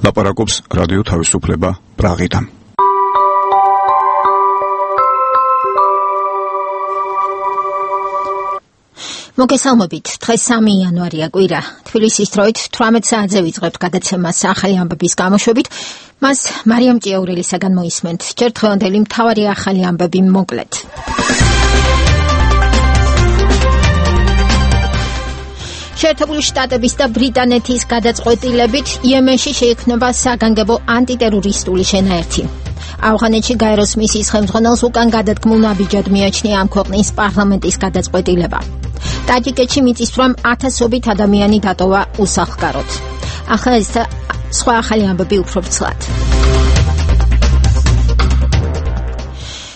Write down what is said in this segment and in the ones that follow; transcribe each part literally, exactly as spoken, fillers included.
ლაპარაკობს რადიო თავისუფლება პრაღიდან. მოგესალმებით, დღეს სამი იანვარია კვირა. თბილისის დროით თვრამეტ საათზე ვიწყებთ გადაცემას ახალი ამბების გამოშვებით. მას მარიამ ჭიაურელისაგან მოისმენთ. ჯერ დღევანდელი მთავარი ახალი ამბები მოკლედ. შეერთებული შტატების და ბრიტანეთის გადაწყვეტილებით იემენში შეიქმნება საგანგებო ანტიტერორისტული შენაერთი. ავღანეთში გაეროს მისიის ხელმძღვანელს უკან გადადგმულ ნაბიჯად მიაჩნია ამ ქვეყნის პარლამენტის გადაწყვეტილება. ტაჯიკეთში მიწისძვრამ ათასობით ადამიანი დატოვა უსახლკაროდ. ახლა ეს სხვა ახალი ამბები უფრო ვრცლად.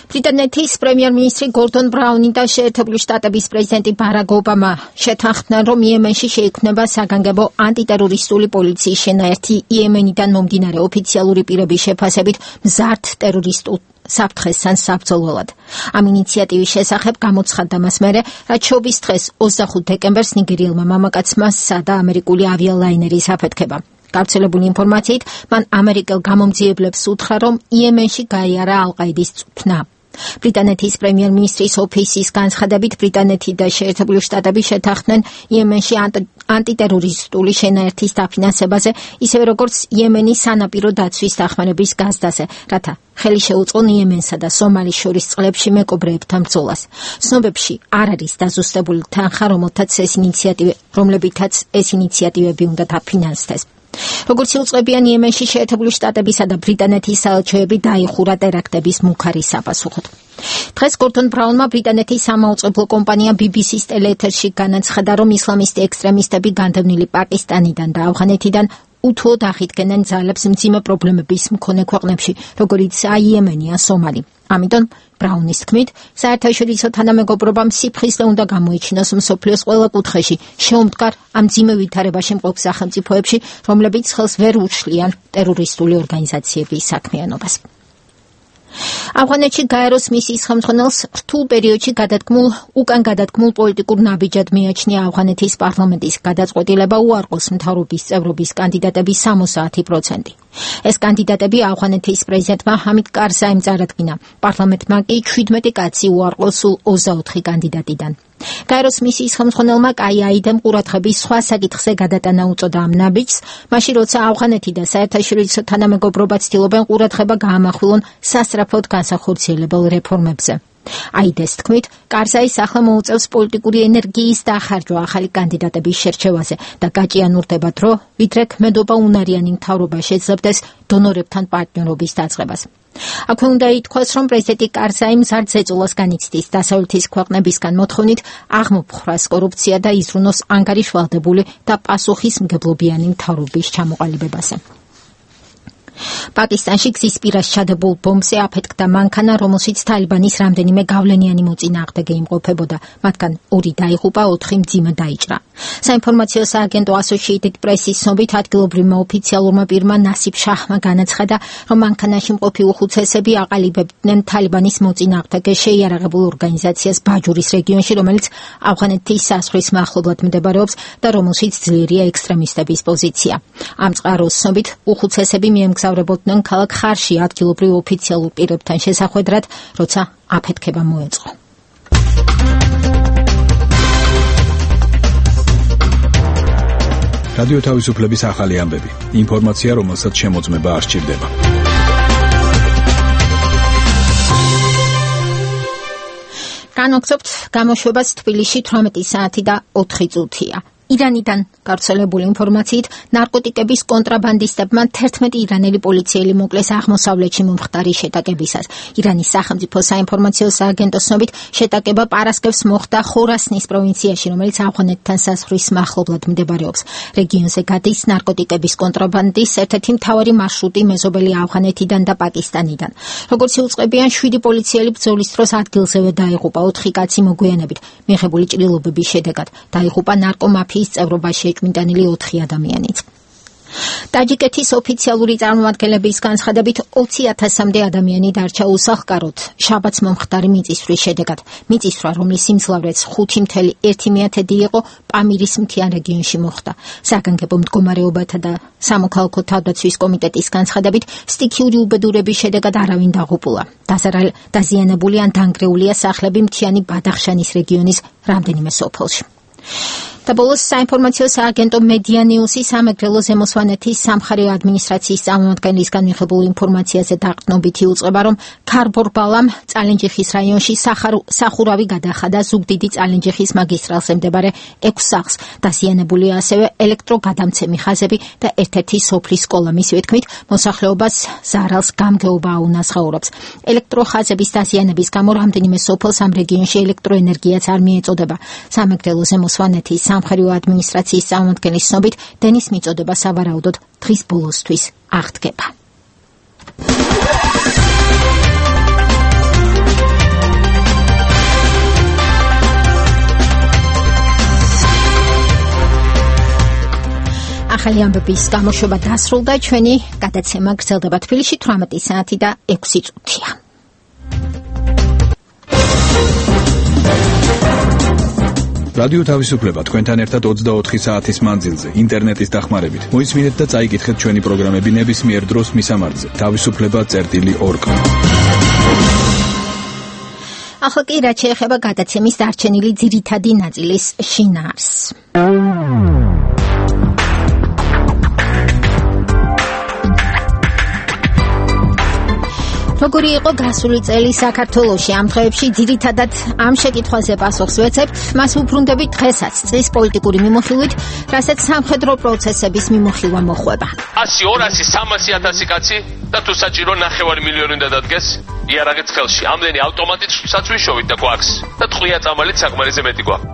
ბრიტანეთის პრემიერ-მინისტრი გორდონ ბრაუნი და შეერთებული შტატების პრეზიდენტი ბარაკ ობამა შეთანხმდნენ, რომ იემენში შეიქმნება საგანგებო ანტიტერორისტული პოლიციის შენაერთი იემენიდან მომდინარე ოფიციალური პირების შეფასებით მზარდ ტერორისტულ საფრთხესთან საბრძოლველად. ამ ინიციატივის შესახებ გამოცხადდა მას მერე, რაც შობის დღეს ოცდახუთ დეკემბერს ნიგერიელმა მამაკაცმა სცადა ამერიკული ავიალაინერის აფეთქება. გავრცელებული ინფორმაციით, მან ამერიკელ გამომძიებლებს უთხრა, რომ იემენში გაიარა ალ-ყაიდის წვრთნა. ბრიტანეთის პრემიერ-მინისტრის ოფისის განცხადებით, ბრიტანეთი და შეერთებული შტატები შეთანხმდნენ იემენში ანტიტერორისტული შენაერთის დაფინანსებაზე, ისევე როგორც იემენის სანაპირო დაცვის დახმარების გაზდაზე, რათა ხელი შეუწყონ იემენსა და სომალის შორის წყლებში მეკობრეებთან ბრძოლას. ცნობებში არ არის დაზუსტებული თანხა, რომელთაც ეს ინიციატივები, რომლებითაც ეს ინიციატივები უნდა დაფინანსდეს. როგორც იუწყებიან იემენში შეერთებული შტატებისა და ბრიტანეთის საელჩოები დაიხურა ტერაქტების მუქარის საპასუხოდ. დღეს გორდონ ბრაუნმა ბრიტანეთის სამაუწყებლო კომპანია ბი ბი სის ტელეეთერში განაცხადა, რომ ისლამისტი ექსტრემისტები განდევნილი პაკისტანიდან და ავღანეთიდან უთუოდ აღიდგენენ ძალებს მძიმე პრობლემების მქონე ქვეყნებში, როგორიცაა იემენი ან სომალი. ამიტომ ბრაუნის თქმით, საერთაშორისო თანამეგობრობამ სიფხიზლე უნდა გამოიჩინოს მსოფლიოს ყველა კუთხეში, შეუმდგარ ამ მძიმე ვითარებაში მყოფ სახელმწიფოებში, რომლებიც ხელს ვერ უშლიან ტერორისტული ორგანიზაციების საქმიანობას. ავღანეთში გაეროს მისიის ხელმძღვანელს რთულ პერიოდში გადადგმულ უკან გადადგმულ პოლიტიკურ ნაბიჯად მიაჩნია ავღანეთის პარლამენტის გადაწყვეტილება უარყოს მთავრობის წევრობის კანდიდატების სამოცდაათი პროცენტი. ეს კანდიდატები ავღანეთის პრეზიდენტმა ჰამიდ კარზაიმ წარადგინა. პარლამენტმა კი შვიდმეტი კაცი უარყოს სულ ოცდაოთხი კანდიდატიდან. გაეროს მისიის ხელმძღვანელმა კაიაიდემ ყურადღების სხვა საკითხზე გადატანა უწოდა ამ ნაბიჯს, მაშინ როცა ავღანეთი და საერთაშორისო თანამეგობრობა ცდილობენ ყურადღება გაამახვილონ სასწრაფოდ განსახორციელებელ რეფორმებზე. აიდეს თქმით, კარზაის ახლა მოუწევს პოლიტიკური ენერგიის დახარჯვა ახალი კანდიდატების შერჩევაზე და გაჭიანურდება დრო, ვიდრე ქმედობა უნარიანი მთავრობა შეძლებდეს დონორებთან პარტნიორობის დაწყებას. აქვე უნდა ითქვას, რომ პრეზიდენტი კარზაი მზარდ ზეწოლას განიცდის დასავლეთის ქვეყნებისგან მოთხოვნით აღმოფხრას კორუფცია და იზრუნოს ანგარიშვალდებული და პასუხისმგებლობიანი მთავრობის ჩამოყალიბებაზე. პაკისტანში გზის პირას ჩადებულ ბომბზე აფეთქდა მანქანა, რომელშიც თალიბანის რამდენიმე გავლენიანი მოწინააღმდეგე იმყოფებოდა. მათგან ორი დაიღუპა, ოთხი მძიმედ დაიჭრა. საინფორმაციო სააგენტო Associated Press-ის ცნობით, ადგილობრივმა ოფიციალურმა პირმა ნასიბ შაჰმა განაცხადა, რომ მანქანაში მყოფი უხუცესები აყალიბებდნენ თალიბანის მოწინააღმდეგე შეიარაღებულ ორგანიზაციას ბაჯურის რეგიონში, რომელიც ავღანეთის საზღვრის მახლობლად მდებარეობს და რომელშიც ძლიერია ექსტრემისტების პოზიცია. ამ წყაროს ცნობით, უხუცესები მიემგზავრებოდნენ ქალაქ ხარში ადგილობრივ ოფიციალურ პირებთან შესახვედრად, როცა აფეთქება მოეწყო. რადიო თავისუფლების ახალი ამბები. ინფორმაცია, რომელსაც შემოწმება არ სჭირდება. განვაგრძობთ გამოშვებას თბილისში თვრამეტი საათი და ოთხი წუთია. ირანიდან გავრცელებული ინფორმაციით, ნარკოტიკების კონტრაბანდისტებმა თერთმეტი ირანელი პოლიციელი მოკლეს აღმოსავლეთში მომხდარი შეტაკებისას. ირანის სახელმწიფო საინფორმაციო სააგენტოს ცნობით, შეტაკება პარასკევს მოხდა ხორასნის პროვინციაში, რომელიც ავღანეთთან საზღვრის მახლობლად მდებარეობს. რეგიონზე გადის ნარკოტიკების კონტრაბანდის ერთ-ერთი მთავარი მარშრუტი მეზობელი ავღანეთიდან და პაკისტანიდან. როგორც იუწყებიან, შვიდი პოლიციელი ბრძოლის დროს ადგილზევე დაიღუპა, ოთხი კაცი მოგვიანებით მიღებული ჭრილობების შედეგად დაიღუპა ნარკომაფიის წევრობაში ეჭვმიტანილი ოთხი ადამიანიც. ტაჯიკეთის ოფიციალური წარმომადგენლების განცხადებით ოცი ათასამდე ადამიანი დარჩა უსახლკაროდ შაბათს მომხდარი მიწისძვრის შედეგად. მიწისძვრა, რომლის სიმძლავრეც ხუთი მთელი ერთი მეათედი იყო, პამირის მთიან რეგიონში მოხდა. საგანგებო მდგომარეობათა და სამოქალაქო თავდაცვის კომიტეტის განცხადებით სტიქიური უბედურების შედეგად არავინ დაღუპულა. დაზიანებული ან დანგრეულია სახლები მთიანი ბადახშანის რეგიონის რამდენიმე სოფელში. და ბოლოს საინფორმაციო სააგენტო მედიანიუსი სამეგრელო ზემოსვანეთის სამხარეო ადმინისტრაციის წარმომადგენლისგან მიღებულ ინფორმაციაზე დაყრდნობით იუწყება, რომ ქარბორბალამ წალენჯიხის რაიონში სახურავი გადახადა ზუგდიდი წალენჯიხის მაგისტრალზე მდებარე ექვს სახლს. დაზიანებულია ასევე ელექტროგადამცემი ხაზები და ერთ-ერთი სოფლის სკოლა. მისივე თქმით, მოსახლეობას ზარალს გამგეობა აუნაზღაურებს. ელექტროხაზების დაზიანების გამო რამდენიმე სოფელს ამ რეგიონში ელექტროენერგიაც არ მიეწოდება. სამეგრელო ზემოსვანეთის სამხარეო ადმინისტრაციის წარმომადგენლის ცნობით, დენის მიწოდება სავარაუდოდ დღის ბოლოსთვის აღდგება. ახალი ამბების გამოშვება დასრულდა. ჩვენი გადაცემა გრძელდება თბილისში თვრამეტი საათი და ექვსი წუთია. რადიო თავისუფლება თქვენთან ერთად ოცდაოთხი საათის მანძილზე ინტერნეტის დახმარებით. მოისმინეთ და წაიკითხეთ ჩვენი პროგრამები ნებისმიერ დროს მისამართზე თავისუფლება წერტილი ორ კომ. ახლა კი რაც შეეხება გადაცემის დარჩენილი ძირითადი ნაწილის შინაარსს. როგორი იყო გასული წელი საქართველოში? ამ დღეებში ძირითადად ამ შეკითხვაზე პასუხს ვეცებთ. მას უბრუნდებით დღესაც წლის პოლიტიკური მიმოხილვით, რასაც სამხედრო პროცესების მიმოხილვა მოხვება. ასი, ორასი, სამასი ათასი კაცი და თუ საჭირო ნახევარი მილიონი უნდა დადგეს იარაღიც ხელში. ამდენი ავტომატით საცვიშოვით და გვაქვს და ტყვია წამალით საკმარისზე მეტი გვაქვს.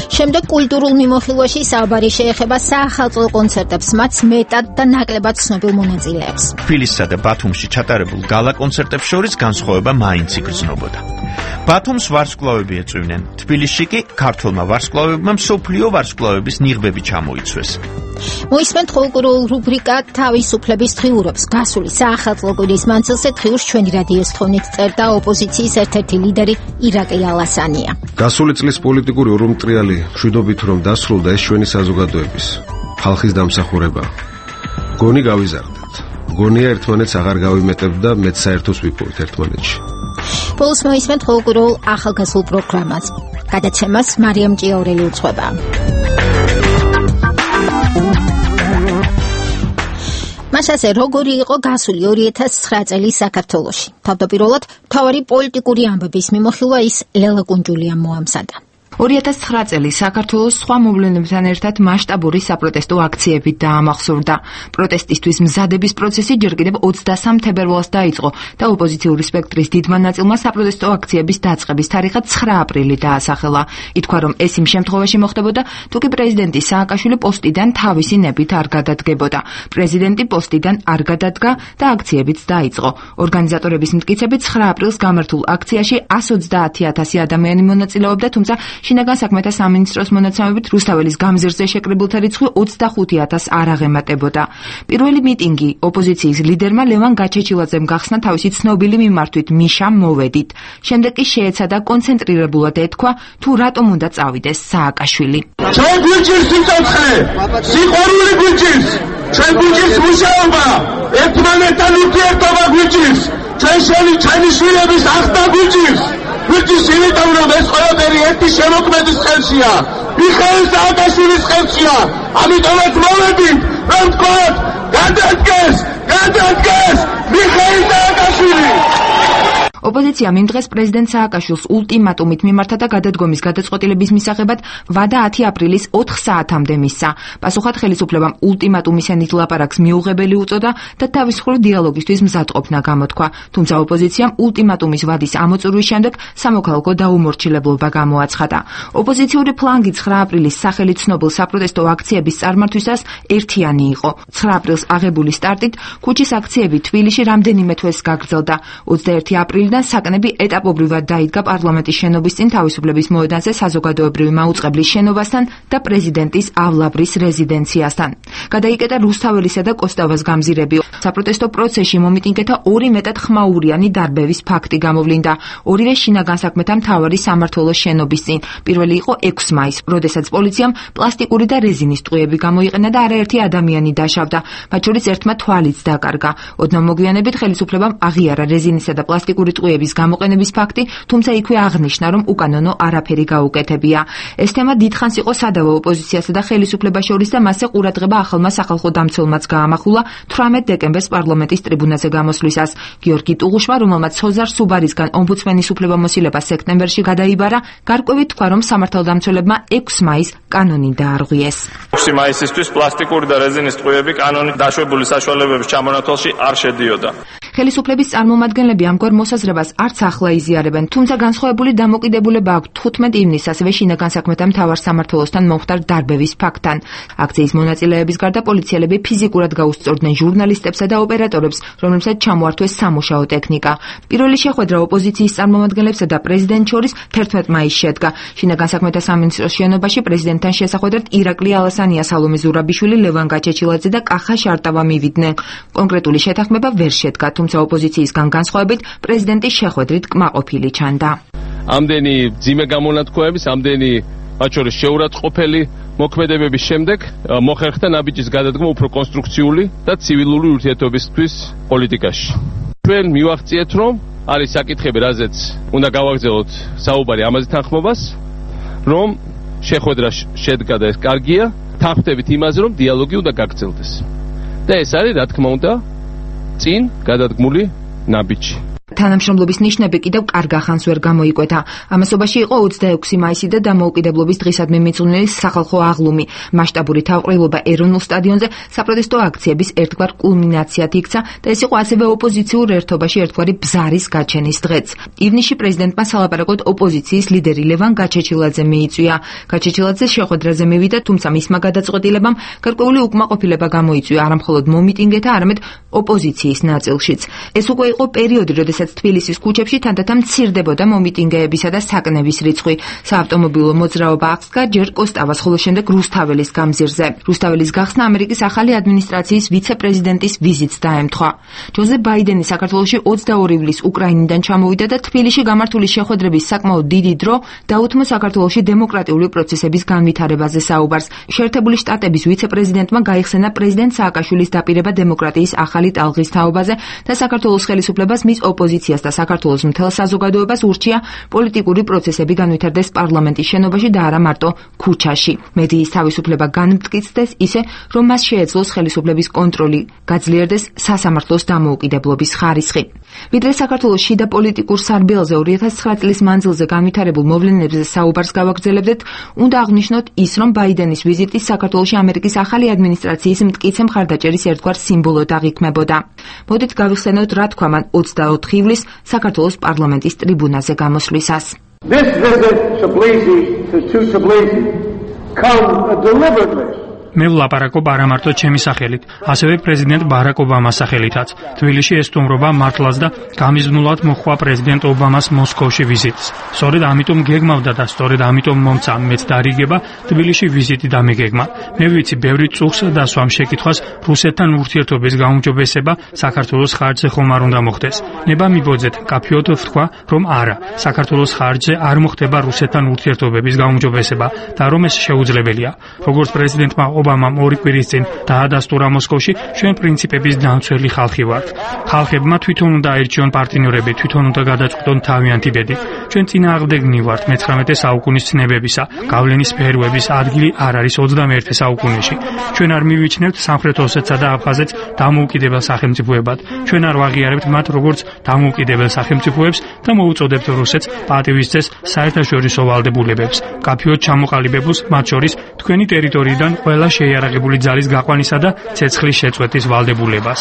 შემდეგ კულტურულ მიმოხილვაში საუბარი შეეხება საახალწლო კონცერტებს, მათ მეტად და ნაკლებად ცნობილ მონაწილეებს. თბილისსა და ბათუმში ჩატარებულ გალა კონცერტებს შორის განსხვავება მაინც იგრძნობდა. ბათუმს ვარსკვლავები ეწვივნენ, თბილისში კი ქართველმა ვარსკვლავებმა მსოფლიო ვარსკვლავების ნიღბები ჩამოიცვეს. მოისმენთ ხალხურ რუბრიკა თავისუფლების დღიურობს. გასული საახალწლო კვირის მანძილზე დღიურს ჩვენი რადიოს თხოვნით წერდა ოპოზიციის ერთ-ერთი ლიდერი ირაკლი ალასანია. გასული წლის პოლიტიკური ურმტრიალი მშვიდობით რომ დასრულდა ეს ჩვენი საზოგადოების ხალხის დამსახურება. გონი გავიზარდეთ. გონია ერთმანეთს აღარ გავიმეტებთ და მეც საერთოს ვიპოვეთ ერთმანეთში. ბოლოს მოისმენთ ხალხურ ახალგაზრდულ პროგრამას. გადაცემას მარიამ ჭიაურელი უძღვება. მასაზე როგორი იყო გასული ორი ათას ცხრა წელი საქართველოში? თავდაპირველად მთავარი პოლიტიკური ამბების მიმოხილვა ის ლელა კუნჯულიამ მოამზადა. ორი ათას ცხრა წელი საქართველოს სხვა მოვლენებთან ერთად მასშტაბური საპროტესტო აქციებით დაამახსოვრდა. პროტესტისთვის მზადების პროცესი ჯერ კიდევ ოცდასამ თებერვალს დაიწყო და ოპოზიციური სპექტრის დიდმა ნაწილმა საპროტესტო აქციების დაწყების თარიღად ცხრა აპრილი დაასახელა. ითქვა, რომ ეს იმ შემთხვევაში მოხდებოდა, თუ კი პრეზიდენტი სააკაშვილი პოსტიდან თავისი ნებით არ გადადგებოდა. პრეზიდენტი პოსტიდან არ გადადგა და აქციებიც დაიწყო. ორგანიზატორების მტკიცებით ცხრა აპრილს გამართულ აქციაში ასი ოცდაათი ათასი ადამიანი მონაწილეობდა, თუმცა შინაგან საქმეთა სამინისტროს მონაცემებით რუსთაველის გამზირზე შეკრებულთა რიცხვი ოცდახუთი ათასს არ აღემატებოდა. პირველი მიტინგი ოპოზიციის ლიდერმა ლევან გაჩეჩილაძემ გახსნა თავისი ცნობილი მიმართვით მიშამ მოვედით. შემდეგ კი შეეცადა კონცენტრირებულად ეთქვა, თუ რატომ უნდა წავიდეს სააკაშვილი. ჩვენ გვიჭირს სიცოცხლე, სიყვარული გვიჭირს, ჩვენ გვიჭირს მუშაობა, ერთმანეთთან ურთიერთობა გვიჭირს, ჩვენ შენი ჩვენი შვილების ახსნა გვიჭირს. გვიჭირს იმიტომ, რომ ეს ყველაფერი ერთი შემოქმედის ხელშია, მიხეილ სააკაშვილის ხელშია. ამიტომაც მოვედით, რომ თქვათ, გადადგეს, გადადგეს მიხეილ სააკაშვილი. ოპოზიციამ იმ დღეს პრეზიდენტ სააკაშვილს ულტიმატუმით მიმართა და გადადგომის გადაწყვეტილების მისაღებად ვადა ათი აპრილის ოთხ საათამდე მისცა. პასუხად ხელისუფლებამ ულტიმატუმისენით ლაპარაკს მიუღებელი უწოდა და თავისუფლ დიალოგისთვის მზადყოფნა გამოთქვა. თუმცა ოპოზიციამ ულტიმატუმის ვადის ამოწურვის შემდეგ სამოქალაქო დაუმორჩილებლობა გამოაცხადა. ოპოზიციური ფლანგი ცხრა აპრილის სახელით ცნობილ საპროტესტო აქციების წარმართვისას ერთიანი იყო. ცხრა აპრილს აღებული სტარტით ქუჩის აქციები თბილისში რამდენიმე თვეს გაგრძელდა. ოცდაერთი აპრილიდან დღიდან საკნები ეტაპობრივად დაიდგა პარლამენტის შენობის წინ თავისუფლების მოედანზე საზოგადოებრივი მაუწყებლის შენობასთან და პრეზიდენტის ავლაბრის რეზიდენციასთან. გადაიკეტა რუსთაველისა და კოსტავას გამზირები. საპროტესტო პროცესში მომიტინგეთა ორი მეტად ხმაურიანი დარბევის ფაქტი გამოვლინდა. ორივე შინაგან საქმეთა მთავარი სამმართველოს შენობის წინ. პირველი იყო ექვსი მაისი, როდესაც პოლიციამ პლასტიკური და რეზინის ტყუები გამოიყენა და არაერთი ადამიანი დაშავდა. მათ შორის ერთმა თვალიც დაკარგა. ოდნავ მოგვიანებით ხელისუფლებამ აღიარა რეზინისა და პლასტიკური ტყუების გამოყენების ფაქტი, თუმცა იქვე აღნიშნა, რომ უკანონო არაფერი გაუკეთებია. ეს თემა დიდხანს იყო სადავო ოპოზიციასა და ხელისუფლებას შორის და მასზე ყურადღება ახალმა სახალხო დამცველმაც გაამახვილა თვრამეტ დეკემბერს პარლამენტის ტრიბუნაზე გამოსვლისას. გიორგი ტუღუშმა, რომელმაც სოზარ სუბარისგან ომბუდსმენის უფლებამოსილება სექტემბერში გადაიბარა, გარკვევით თქვა, რომ სამართალდამცველებმა ექვსი მაისს კანონი დაარღვიეს. ექვსი მაისისთვის პლასტიკური და რეზინის ტყუები კანონით დაშვებული საშუალებების ჩამონათვალში არ შედიოდა. ხელისუფლების წარმომადგენლები ამგვარ მოსაზრებას არც ახლა იზიარებენ, თუმცა განსხვავებული დამოკიდებულება აქვთ თხუთმეტ ივნისს ასევე შინაგან საქმეთა მთავარ სამმართველოსთან მომხდარ დარბევის ფაქტთან. აქციის მონაწილეების გარდა პოლიციელები ფიზიკურად გაუსწორდნენ ჟურნალისტებსა და ოპერატორებს, რომლებსაც ჩამოართვეს სამუშაო ტექნიკა. პირველი შეხვედრა ოპოზიციის წარმომადგენლებსა და პრეზიდენტს შორის თერთმეტ მაისს შედგა. შინაგან საქმეთა სამინისტროს შენობაში პრეზიდენტთან შესახვედრად ირაკლი ალასანია, სალომე ზურაბიშვილი, ლევან გაჩეჩილაძე და კახა შარტავა მივიდნენ. კონკრეტული შეთანხმება ვერ შედგა, თუმცა ოპოზიციისგან განსხვავებით პრეზიდენტის შეხვედრით კმაყოფილი ჩანდა. ამდენი ძიმე გამონათქვამების, ამდენი მათ შორის შეურაცხყოფელი მოქმედებების შემდეგ მოხერხდა ნაბიჯის გადადგმა უფრო კონსტრუქციული და ცივილური ურთიერთობისთვის პოლიტიკაში. ჩვენ მივახციეთ, რომ არის საკითხები, რაზეც უნდა გავაგრძელოთ საუბარი ამაზე თანხმობას, რომ შეხვედრა შედგა და ეს კარგია, თანხმდებით იმაზე, რომ დიალოგი უნდა გაგრძელდეს. და ეს არის, რა თქმა უნდა, წინ გადადგმული ნაბიჯი. თანამშრომლობის ნიშნები კიდევ კარგ ახანს ვერ გამოიკვეთა. ამასობაში იყო ოცდაექვსი მაისი და დამოუკიდებლობის დღისადმი მიძღვნილი სახალხო აღლუმი. მასშტაბური თავყრილობა ეროვნულ სტადიონზე საპროტესტო აქციების ერთგვარ კულმინაციად იქცა და ეს იყო ასევე ოპოზიციურ ერთობაში ერთგვარი ბზარის გაჩენის დღეც. ივნისში პრეზიდენტმა სალაპარაკოდ ოპოზიციის ლიდერი ლევან გაჩეჩილაძე მიიწვია. გაჩეჩილაძე შეხვედრაზე მივიდა, თუმცა მისმა გადაწყვეტილებამ გარკვეული უკმაყოფილება გამოიწვია არა მხოლოდ მომიტინგეთა, არამედ ოპოზიციის ნაწილშიც. ეს უკვე იყო პერიოდი, როდესაც თბილისის ქუჩებში თანდათან მცირდებოდა მომიტინგეებისა და საკნების რიცხვი. საავტომობილო მოძრაობა აღსდგა ჯერ კოსტავას, ხოლო შემდეგ რუსთაველის გამზირზე. რუსთაველის გახსნა ამერიკის ახალი ადმინისტრაციის ვიცე-პრეზიდენტის ვიზიტს დაემთხვა. ჯოზეფ ბაიდენი საქართველოში ოცდაორი ივლისს უკრაინიდან ჩამოვიდა და თბილისში გამართული შეხვედრების საკმაოდ დიდი დრო დაუთმო საქართველოში დემოკრატიული პროცესების განვითარებაზე საუბარს. შეერთებული შტატების ვიცე-პრეზიდენტმა გაიხსენა პრეზიდენტ სააკაშვილის დაპირება დემოკრატიის ახალი ტალღის თაობაზე და საქართველოს ხელისუფლებას მის ოპოზიციას და საქართველოს მთელ საზოგადოებას ურჩია პოლიტიკური პროცესები განვითარდეს პარლამენტის შენობაში და არა მარტო ქუჩაში. მედიის თავისუფლება განმტკიცდეს ისე, რომ მას შეეძლოს ხელისუფლების კონტროლი, გაძლიერდეს სასამართლოს დამოუკიდებლობის ხარისხი. ვიდრე საქართველოს შიდა პოლიტიკურ სარბიელზე ორი ათას ცხრა წლის მანძილზე განვითარებულ მოვლენებზე საუბარს გავაგრძელებდეთ, უნდა აღვნიშნოთ ის, რომ ბაიდენის ვიზიტი საქართველოში ამერიკის ახალი ადმინისტრაციის მტკიცე მხარდაჭერის ერთგვარ სიმბოლოდ აღიქმებოდა. მოდით გავიხსენოთ, რა თქვა მან ოცდაოთხი ივლისს საქართველოს პარლამენტის ტრიბუნაზე გამოსვლისას. This visit to Tbilisi to Tbilisi comes deliberately. მე ვლაპარაკობ არა მარტო ჩემი სახელით, ასევე პრეზიდენტ ბარაკ ობამას სახელითაც. თბილისში ეს სტუმრობა მართლაც და გამიზნულად მოხდა პრეზიდენტ ობამას მოსკოვში ვიზიტს. სწორედ ამიტომ გეგმავდა და სწორედ ამიტომ მომცა მეც დარიგება თბილისში ვიზიტი დამეგეგმა. მე ვიცი, ბევრი წუხს და სვამ შეკითხვას რუსეთთან ურთიერთობის გაუმჯობესება საქართველოს ხარჯზე ხომ არ უნდა მოხდეს. ნება მიბოძეთ, კაფეოდ ვთქვა, რომ არა, საქართველოს ხარჯზე არ მოხდება რუსეთთან ურთიერთობების გაუმჯობესება და რომ ეს შეუძლებელია. როგორც პრეზიდენტმა ობამამ ორი კვირის წინ დაადასტურა მოსკოვში, ჩვენ პრინციპების დამცველი ხალხი ვართ. ხალხებმა თვითონ უნდა აირჩიონ პარტნიორები, თვითონ უნდა გადაწყვიტონ თავიანთი ბედი. ჩვენ წინააღმდეგნი ვართ მეცხრამეტე საუკუნის ცნებებისა. გავლენის სფეროების ადგილი არ არის ოცდამეერთე საუკუნეში. ჩვენ არ მივიჩნევთ სამხრეთ ოსეთსა და აფხაზეთს დამოუკიდებელ სახელმწიფოებად. ჩვენ არ ვაღიარებთ მათ როგორც დამოუკიდებელ სახელმწიფოებს და მოუწოდებთ რუსეთს პატივისცეს საერთაშორისო ვალდებულებებს. კაფეოდ ჩამოყალიბებულს, მათ შორის თქვენი ტერიტორიიდან ყველა შეიარაღებული ძალის გაყვანისა და ცეცხლის შეწყვეტის ვალდებულებას.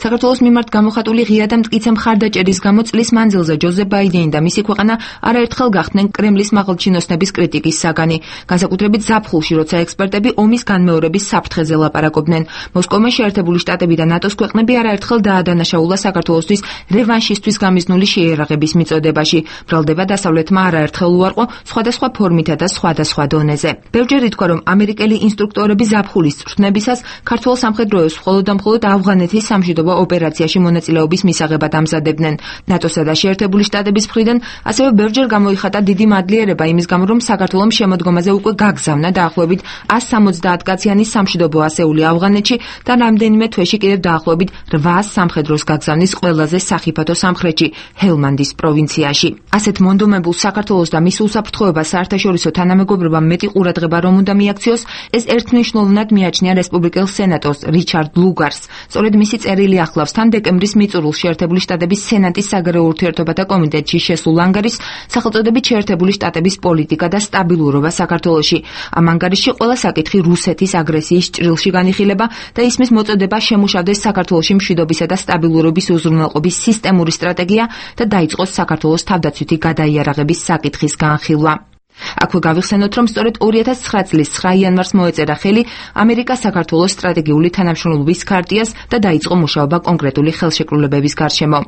საქართველოს მიმართ გამოხატული ღია და მტკიცე მხარდაჭერის გამო წლის მანძილზე ჯოზეფ ბაიდენი და მისი ქვეყანა არაერთხელ გახდნენ კრემლის მაღალჩინოსნების კრიტიკის საგანი, განსაკუთრებით ზაფხულში, როცა ექსპერტები ომის განმეორების საფრთხეზე ლაპარაკობდნენ. მოსკოვმა შეერთებული შტატები და ნატოს ქვეყნები არაერთხელ დაადანაშაულა საქართველოსთვის რევანშისთვის გამიზნული შეიარაღების მიწოდებაში. ბრალდება დასავლეთმა არაერთხელ უარყო სხვადასხვა ფორმითა და სხვადასხვა დონეზე. ბევრჯერ ითქვა, რომ ამერიკელი ინსტრუქტორები ზაფხულის წვრთნებისას ქართველ სამხედროებს მხოლოდ და მხოლოდ ავღანეთის სამშვიდობო ოპერაციაში მონაწილეობის მისაღებად ამზადებდნენ. ნატოსა და შეერთებული შტატების მხრიდან ასევე ბევრჯერ გამოიხატა დიდი მადლიერება იმის გამო, რომ საქართველომ შემოდგომაზე უკვე გაგზავნა დაახლოებით ას სამოცდაათ კაციანი სამშვიდობო ასეული ავღანეთში და რამდენიმე თვეში კიდევ დაახლოებით რვაას სამხედროს გაგზავნის ყველაზე სახიფათო სამხრეთში, ჰელმანდის პროვინციაში. ასეთ მონდომებულ საქართველოს და მის უსაფრთხოებას საერთაშორისო თანამეგობრობამ მეტი ყურადღება რომ უნდა მიაქციოს, ეს ერთმნიშვნელოვნად მიაჩნია რესპუბლიკელ სენატორს რიჩარდ ლუგარს. სწორედ მისი წერილი ახლავს თან დეკემბრის მიწურულს შეერთებული შტატების სენატის საგარეო ურთიერთობათა კომიტეტში შესულ ანგარიშს სახელწოდებით შეერთებული შტატების პოლიტიკა და სტაბილურობა საქართველოში. ამ ანგარიშში ყველა საკითხი რუსეთის აგრესიის ჭრილში განიხილება და ისმის მოწოდება შემუშავდეს საქართველოში მშვიდობისა და სტაბილურობის უზრუნველყოფის სისტემური სტრატეგია და დაიწყოს საქართველოს თავდაცვითი გადაიარაღების საკითხის განხილვა. აქვე გავიხსენოთ, რომ სწორედ ორი ათას ცხრა წლის ცხრა იანვარს მოეწერა ხელი ამერიკა-საქართველოს სტრატეგიული თანამშრომლობის ქარტიას და დაიწყო მუშაობა კონკრეტული ხელშეკრულებების გარშემო.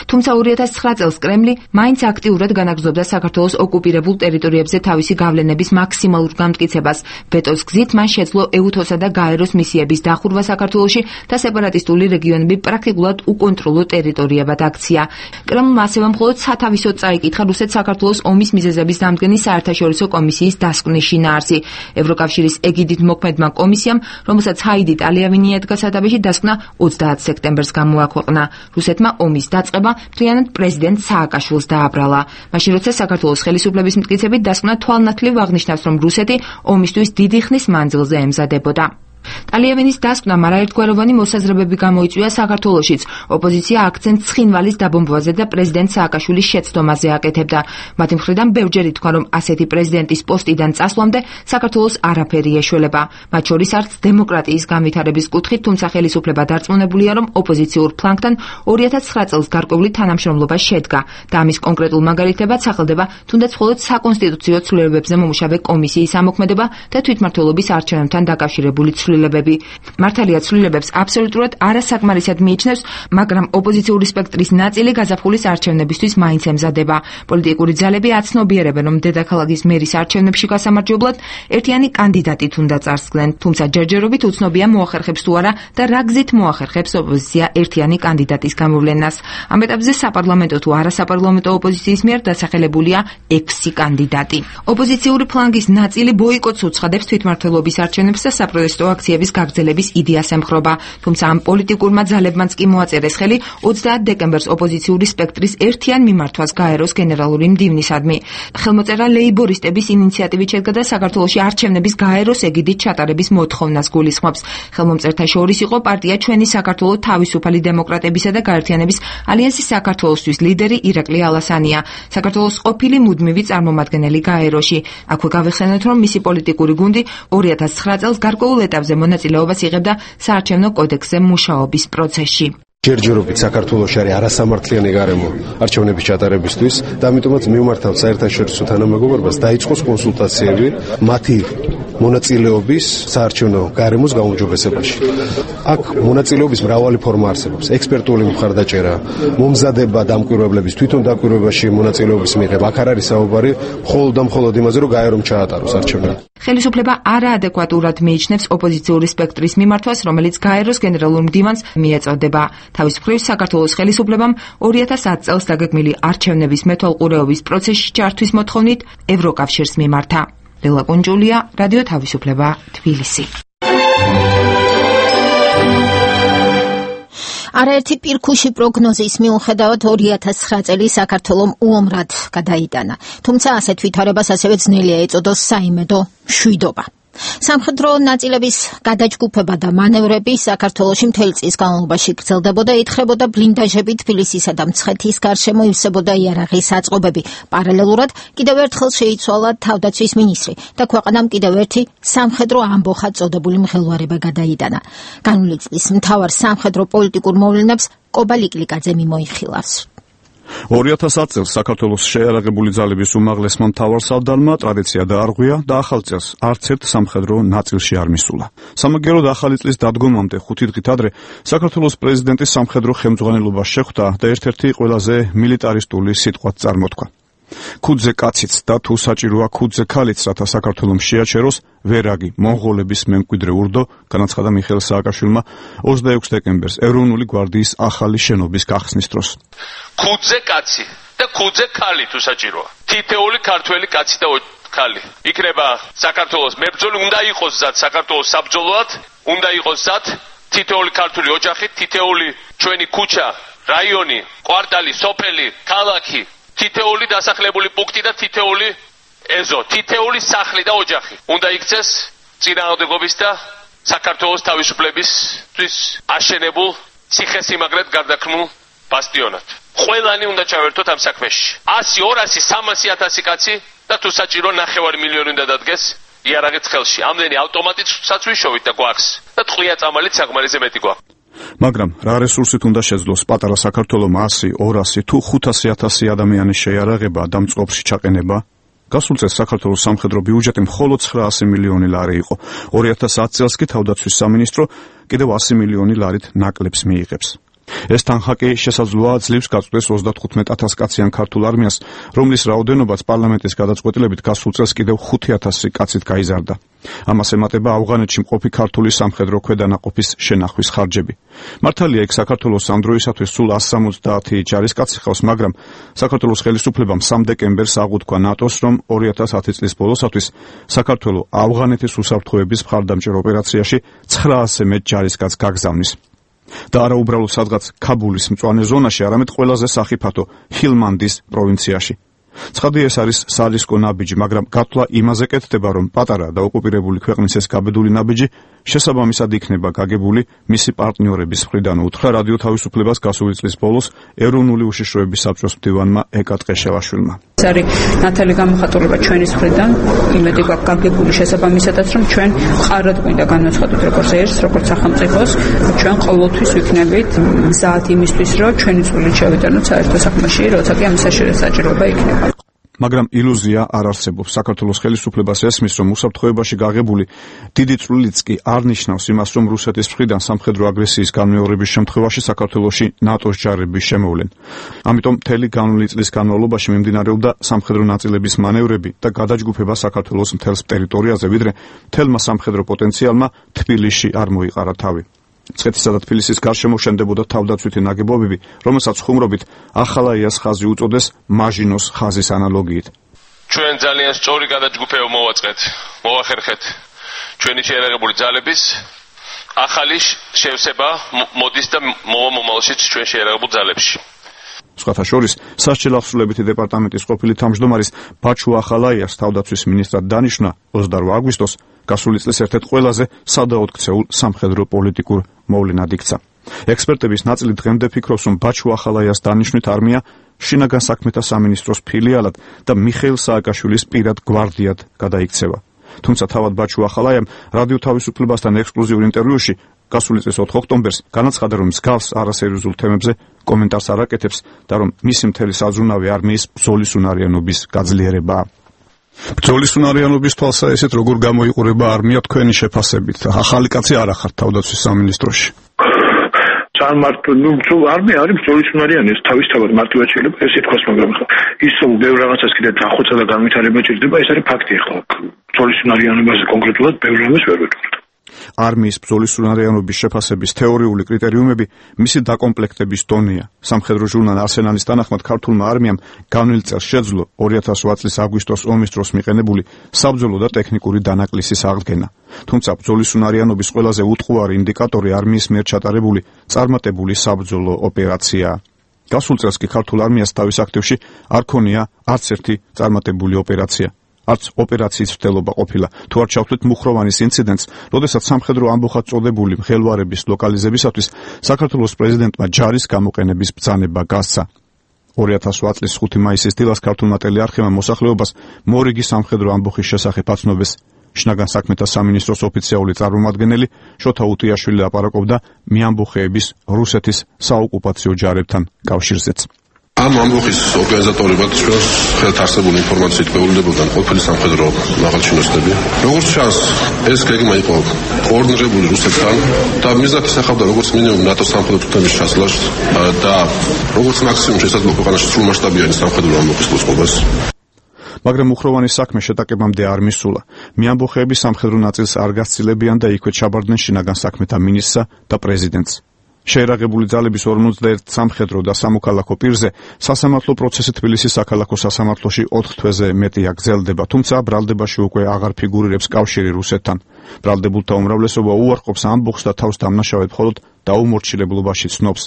თუმცა ორი ათას ცხრა წელს კრემლი მაინც აქტიურად განაგრძობდა საქართველოს ოკუპირებულ ტერიტორიებზე თავისი გავლენების მაქსიმალურ გამტკიცებას. ვეტოს გზით მან შეძლო ეუთოსა და გაეროს მისიების დახურვა საქართველოში და სეპარატისტული რეგიონები პრაქტიკულად უკონტროლო ტერიტორიებად აქცია. კრემლმა ასევე მხოლოდ სათავისოდ წაიკითხა რუსეთ-საქართველოს ომის მიზეზების დამდგენი საერთაშორისო კომისიის დასკვნის შინაარსი. ევროკავშირის ეგიდით მოქმედმა კომისიამ, რომელსაც ჰაიდი ტალიავინი ედგა სათავეში, დასკვნა ოცდაათ სექტემბერს გამოაქვეყნა. რუსეთმა ომის დაწყება მთლიანად პრეზიდენტ სააკაშვილს დააბრალა. მაშინ როცა საქართველოს ხელისუფლების მტკიცებით დასკვნა თვალნათლივ აღნიშნავს, რომ რუსეთი ომისთვის დიდი ხნის მანძილზე ემზადებოდა. ტალიავინის დასკვნამ არაერთგვაროვანი მოსაზრებები გამოიწვია საქართველოშიც. ოპოზიცია აქცენტს ცხინვალის დაბომბვაზე და პრეზიდენტ სააკაშვილის შეცდომაზე აკეთებდა. მათი მხრიდან ბევრჯერ ითქვა, რომ ასეთი პრეზიდენტის პოსტიდან წასვლამდე საქართველოს არაფერი ეშველება. მათ შორის არც დემოკრატიის განვითარების კუთხით, თუმცა ხელისუფლება დარწმუნებულია, რომ ოპოზიციურ ფლანგთან ორი ათას ცხრა წელს გარკვეული თანამშრომლობა შედგა და ამის კონკრეტულ მაგალითებად სახელდება თუნდაც მხოლოდ საკონსტიტუციო ცვლილებებზე მომუშავე კომისიის ამოქმედება და თვითმმართველობის არჩევნებთან დაკავშირებული ცვლილებები. მართალია ცვლილებებს აბსოლუტურად არასაკმარისად მიიჩნევს, მაგრამ ოპოზიციური სპექტრის ნაწილი გაზაფხულის არჩევნებისთვის მაინც ემზადება. პოლიტიკური ძალები აცნობიერებენ, რომ დედაქალაქის მერის არჩევნებში გასამარჯვებლად ერთიანი კანდიდატი თუნდა წარსდგნენ, თუმცა ჯერჯერობით უცნობია მოახერხებს თუ არა და რა გზით მოახერხებს ოპოზიცია ერთიანი კანდიდატის გამოვლენას. ამ ეტაპზე საპარლამენტო თუ არასაპარლამენტო ოპოზიციის მიერ დასახელებულია ექვსი კანდიდატი. ოპოზიციური ფლანგის ნაწილი ბოიკოტს უცხადებს თვითმმართველობის არჩევნებს და საპროტესტო აქციების გაგრძელების იდეას ემხრობა, თუმცა ამ პოლიტიკურმა ძალებმაც კი მოაწერეს ხელი ოცდაათ დეკემბერს ოპოზიციური სპექტრის ერთიან მიმართვას გაეროს გენერალური მდივნისადმი. ხელმოწერა ლეიბორისტების ინიციატივით შედგა და საქართველოში არჩევნების გაეროს ეგიდით ჩატარების მოთხოვნას გულისხმობს. ხელმომწერთა შორის იყო პარტია ჩვენი საქართველო თავისუფალი დემოკრატებისა და გაერთიანების ალიანსის საქართველოსთვის ლიდერი ირაკლი ალასანია, საქართველოს ყოფილი მუდმივი წარმომადგენელი გაეროში. აქვე გავიხსენოთ, რომ მისი პოლიტიკური გუნდი ორი ათას ცხრა წელს გარკვეულ ეტაპზე მონაწილეობას იღებდა საარჩევნო კოდექსზე მუშაობის პროცესში. ჯერჯერობით საქართველოში არის არასამართლიანი გარემო არჩევნების ჩატარებისთვის და ამიტომაც მივმართავთ საერთაშორისო თანამეგობრობას დაიწყოს კონსულტაციები მათი მონაწილეობის საარჩევნო გარემოს გაუმჯობესებაში. აქ მონაწილეობის მრავალი ფორმა არსებობს: ექსპერტული მხარდაჭერა, მომზადება დამკვირვებლების, თვითონ დამკვირვებაში მონაწილეობის მიღება. აქ არ არის საუბარი მხოლოდ და მხოლოდ იმაზე, რომ გაერომ ჩაატაროს არჩევნები. ხელისუფლება არაადეკვატურად მიიჩნევს ოპოზიციური სპექტრის მიმართვას, რომელიც გაეროს გენერალურ მდივანს მიეწოდება. თავის მხრივ საქართველოს ხელისუფლებამ ორი ათას ათ წელს დაგეგმილი არჩევნების მეთვალყურეობის პროცესში ჩართვის მოთხოვნით ევროკავშირს მიმართა. ლელა კუნჯულია, რადიო თავისუფლება, თბილისი. არაერთი პირქუში პროგნოზის მიუხედავად ორი ათას ცხრა წელი საქართველომ უომრად გადაიტანა. თუმცა ასეთ ვითარებას ასევე ძნელია ეწოდოს საიმედო მშვიდობა. სამხედრო ნაწილების გადაჯგუფება და მანევრები საქართველოში მთელი წლის განმავლობაში გრძელდებოდა, ითხრებოდა ბლინდაჟები თბილისისა და მცხეთის გარშემო ივსებოდა იარაღის აწყობები. პარალელურად კიდევ ერთხელ შეიცვალა თავდაცვის მინისტრი და ქვეყანამ კიდევ ერთი სამხედრო ამბოხად წოდებული მღელვარება გადაიტანა. განვლილი წლის მთავარ სამხედრო პოლიტიკურ მოვლენებს კობა ლიკლიკაძე მიმოიხილავს. ორი ათას ათი წელს საქართველოს შეიარაღებული ძალების უმაღლესმა მთავარსარდალმა ტრადიცია დაარღვია და ახალ წელს არც ერთ სამხედრო ნაწილში არ მისულა. სამაგიეროდ ახალი წლის დადგომამდე ხუთი დღით ადრე საქართველოს პრეზიდენტის სამხედრო ხელმძღვანელობა შეხვდა და ერთ-ერთი ყველაზე მილიტარისტული სიტყვაც წარმოთქვა. ქუძე კაციც და თუ საჭიროა ქუძე ქალიც, რათა საქართველომ შეაჩეროს ვერაგი მონღოლების მემკვიდრე ურდო, განაცხადა მიხეილ სააკაშვილმა ოცდაექვსი დეკემბერს ეროვნული გვარდიის ახალი შენობის გახსნის დროს. ქუძე კაცი და ქუძე ქალი თუ საჭიროა. თითეული ქართველი კაცი და ქალი იქნება საქართველოს მებრძოლი, უნდა იყოს ზად საქართველოს საბრძოლოად, უნდა იყოს ზად თითეული ქართული ოჯახი, თითეული ჩვენი ქუჩა, რაიონი, კვარტალი, სოფელი, ქალაქი, თითეული დასახლებული პუნქტი და თითეული ეზო, თითეული სახლი და ოჯახი უნდა იქცეს წინააღმდეგობის და საქართველოს თავისუფლებისთვის აშენებულ ციხესიმაგრედ გარდაქმნულ ბასტიონად. ყველანი უნდა ჩავერთოთ ამ საქმეში. ასი, ორასი, სამასი ათასი კაცი და თუ საჭირო ნახევარი მილიონი უნდა დადგეს იარაღით ხელში. ამდენი ავტომატით საცვიშოვით და გვაქვს და ტყვია წამალით საკმარისზე მეტი გვაქვს. მაგრამ რა რესურსით უნდა შეძლოს პატარა საქართველოს ასი, ორასი თუ ხუთასი ათასი ადამიანის შეიარაღება და მწყობრში ჩაყენება? გასულ წელს საქართველოს სამხედრო ბიუჯეტი მხოლოდ ცხრაასი მილიონი ლარი იყო. ორი ათას ათი წელს კი თავდაცვის სამინისტრო კიდევ ასი მილიონი ლარით ნაკლებს მიიღებს. ეს თანხაკი შესაძლოა ძლივს გაწყვეტს ოცდათხუთმეტ ათას კაციან ქართულ არმიას, რომლის რაოდენობაც პარლამენტის გადაწყვეტილებით გასულ წელს კიდევ ხუთი ათასი კაცით გაიზარდა. ამას ემატება ავღანეთში მყოფი ქართული სამხედრო ქვედანაყოფის შენახვის ხარჯები. მართალია, იქ საქართველოს ამ დროისათვის სულ ასი სამოცდაათი ჯარისკაცი ხავს, მაგრამ საქართველოს ხელისუფლებამ სამ დეკემბერს აღუთქვა ნატოს, რომ ორი ათას ათი წლის ბოლოსათვის საქართველოს ავღანეთის უსაფრთხოების მხარდამჭერ ოპერაციაში ცხრაასი მეტ ჯარისკაცს გაგზავნის. და არა უბრალოდ სადღაც ქაბულის მწვანე ზონაში, არამედ ყველაზე სახიფათო ჰილმანდის პროვინციაში. ცხადი ეს არის სარისკო ნაბიჯი, მაგრამ გათვლა იმაზე კეთდება, რომ პატარა და ოკუპირებული ქვეყნის ეს გაბედული ნაბიჯი შესაბამისად იქნება გაგებული მისი პარტნიორების მხრიდან, უთხრა რადიო თავისუფლებას გასული წლის ბოლოს ეროვნული უშიშროების საბჭოს მდივანმა ეკა ტყეშევაშვილმა. ეს არის ნათელი გამოხატულება ჩვენის მხრიდან, იმედი გვაქვს გაგებული შესაბამისადაც, რომ ჩვენ მყარად გვინდა განვაცხადოთ როგორც ერთს, როგორც სახელმწიფოს, ჩვენ ყოველთვის ვიქნებით მზად იმისთვის, რომ ჩვენი წვლილი შევიტანოთ საერთო საქმეში, როცა კი ამის საჭიროება იქნება. მაგრამ ილუზია არ არსებობს. საქართველოს ხელისუფლებას ესმის, რომ უსაფრთხოებაში გაღებული დიდი წვლილიც კი არ ნიშნავს იმას, რომ რუსეთის მხრიდან სამხედრო აგრესიის განმეორების შემთხვევაში საქართველოში ნატოს ჯარები შემოვლენ. ამიტომ მთელი განვლილი წლის განმავლობაში მიმდინარეობდა სამხედრო ნაწილების მანევრები და გადაჯგუფება საქართველოს მთელს ტერიტორიაზე, ვიდრე მთელმა სამხედრო პოტენციალმა თბილისში არ მოიყარა თავი. მცხეთისა და თბილისის გარშემო შენდებოდა თავდაცვითი ნაგებობები, რომელსაც ხუმრობით ახალაიას ხაზი უწოდეს მაჟინოს ხაზის ანალოგიით. ჩვენ ძალიან სწორი გადაჯგუფება მოვაწყეთ, მოვახერხეთ ჩვენი შეიარაღებული ძალების ახალი შევსება მოდის და მოვა მომავალშიც ჩვენ შეიარაღებულ ძალებში. სხვათა შორის, სასჯელ აღსრულებითი დეპარტამენტის ყოფილი თავმჯდომარის ბაჩუ ახალაიას თავდაცვის ministrად დანიშნა ოცდაორ აგვისტოს გასული წლის ერთ-ერთ ყველაზე სადაოდ ქცეულ სამხედრო პოლიტიკურ მოვლენად იქცა. ექსპერტების ნაწილი დღემდე ფიქრობს, რომ ბაჩუ ახალაიას დანიშვნით არმია შინაგან საქმეთა სამინისტროს ფილიალად და მიხეილ სააკაშვილის პირად გვარდიად გადაიქცევა. თუმცა თავად ბაჩუ ახალაიამ რადიო თავისუფლებასთან ექსკლუზიურ ინტერვიუში გასული წლის ოთხ ოქტომბერს განაცხადა, რომ მსგავს არასერიოზულ თემებზე კომენტარს არ აკეთებს და რომ მისი მთელი საზრუნავი არმიის ბრძოლის უნარიანობის გაძლიერებაა. ბრძოლის უნარიანობის თვალსაჩინოდ როგორ გამოიყურება არმია თქვენი შეფასებით? ახალი კაცი არ ახართ თავდაცვის სამინისტროში. წარმართო, ნუ არმია არის ბრძოლის უნარიანი, ეს თავისთავად მარტივად შეიძლება ეს ითქვას, მაგრამ ის რომ ბევრ რაღაცას კიდე დახოცა და განვითარება ჭირდება, ეს არის ფაქტი. ახლა ბრძოლის უნარიანობაზე კონკრეტულად ბევრ რამეს ვერ ვეტყვით. არმიის ბრძოლის უნარიანობის შეფასების თეორიული კრიტერიუმები მისი დაკომპლექტების დონეა. სამხედრო ჟურნალ არსენალის თანახმად ქართულმა არმიამ განვლილ წელს შეძლო ორი ათას ოთხ წლის აგვისტოს ომის დროს მიყენებული საბრძოლო და ტექნიკური დანაკლისის აღდგენა. თუმცა ბრძოლის უნარიანობის ყველაზე უტყუარი ინდიკატორი არმიის მიერ ჩატარებული წარმატებული საბრძოლო ოპერაციაა. გასულ წელს კი ქართულ არმიას თავის აქტივში არ ქონია არც ერთი წარმატებული ოპერაცია. არც ოპერაციის მცდელობა ყოფილა. თუ არ ჩავთვლით მუხროვანის ინციდენტს, როდესაც სამხედრო ამბოხად წოდებული მღელვარების ლოკალიზებისათვის საქართველოს პრეზიდენტმა ჯარის გამოყენების ბრძანება გასცა. ორი ათას ოთხ წლის ხუთი მაისის დილას ქართულმა ტელეარხევმა მოსახლეობას მორიგი სამხედრო ამბოხის შესახებ აცნობეს. შინაგან საქმეთა სამინისტროს ოფიციალური წარმომადგენელი შოთა უტიაშვილი ლაპარაკობდა მიამბოხეების რუსეთის საოკუპაციო ჯარებთან კავშირზეც. ამ ამბოხის ორგანიზატორებად ჩვენს ხელთ არსებული ინფორმაციით გვეუბნებოდნენ ყოფილი სამხედრო მაღალჩინოსნები. როგორც ჩანს, ეს გეგმა იყო კოორდინირებული რუსეთთან და მიზნად ისახავდა როგორც მინიმუმ ნატოს სამხედრო თვითმფრინავის ჩასვლას და როგორც მაქსიმუმ შესაძლოა ქვეყანაში სრულმასშტაბიანი სამხედრო ამბოხის მოწყობას. მაგრამ მუხროვანის საქმე შეტაკებამდე არ მისულა. მიამბოხეების სამხედრო ნაწილს არ გასცილებიან და იქვე ჩაბარდნენ შინაგან საქმეთა მინისტრსა და პრეზიდენტს. შეერაღებული ძალების ორმოცდაერთ სამხედრო და სამოქალაქო პირზე სასამართლო პროცესი თბილისის საქალაქო სასამართლოში ოთხ თვეზე მეტია გრძელდება, თუმცა ბრალდებაში უკვე აღარ ფიგურირებს კავშირი რუსეთთან. ბრალდებულთა უმრავლესობა უარყოფს ამბოხს და თავს დამნაშავედ მხოლოდ დაუმორჩილებლობაში ცნობს.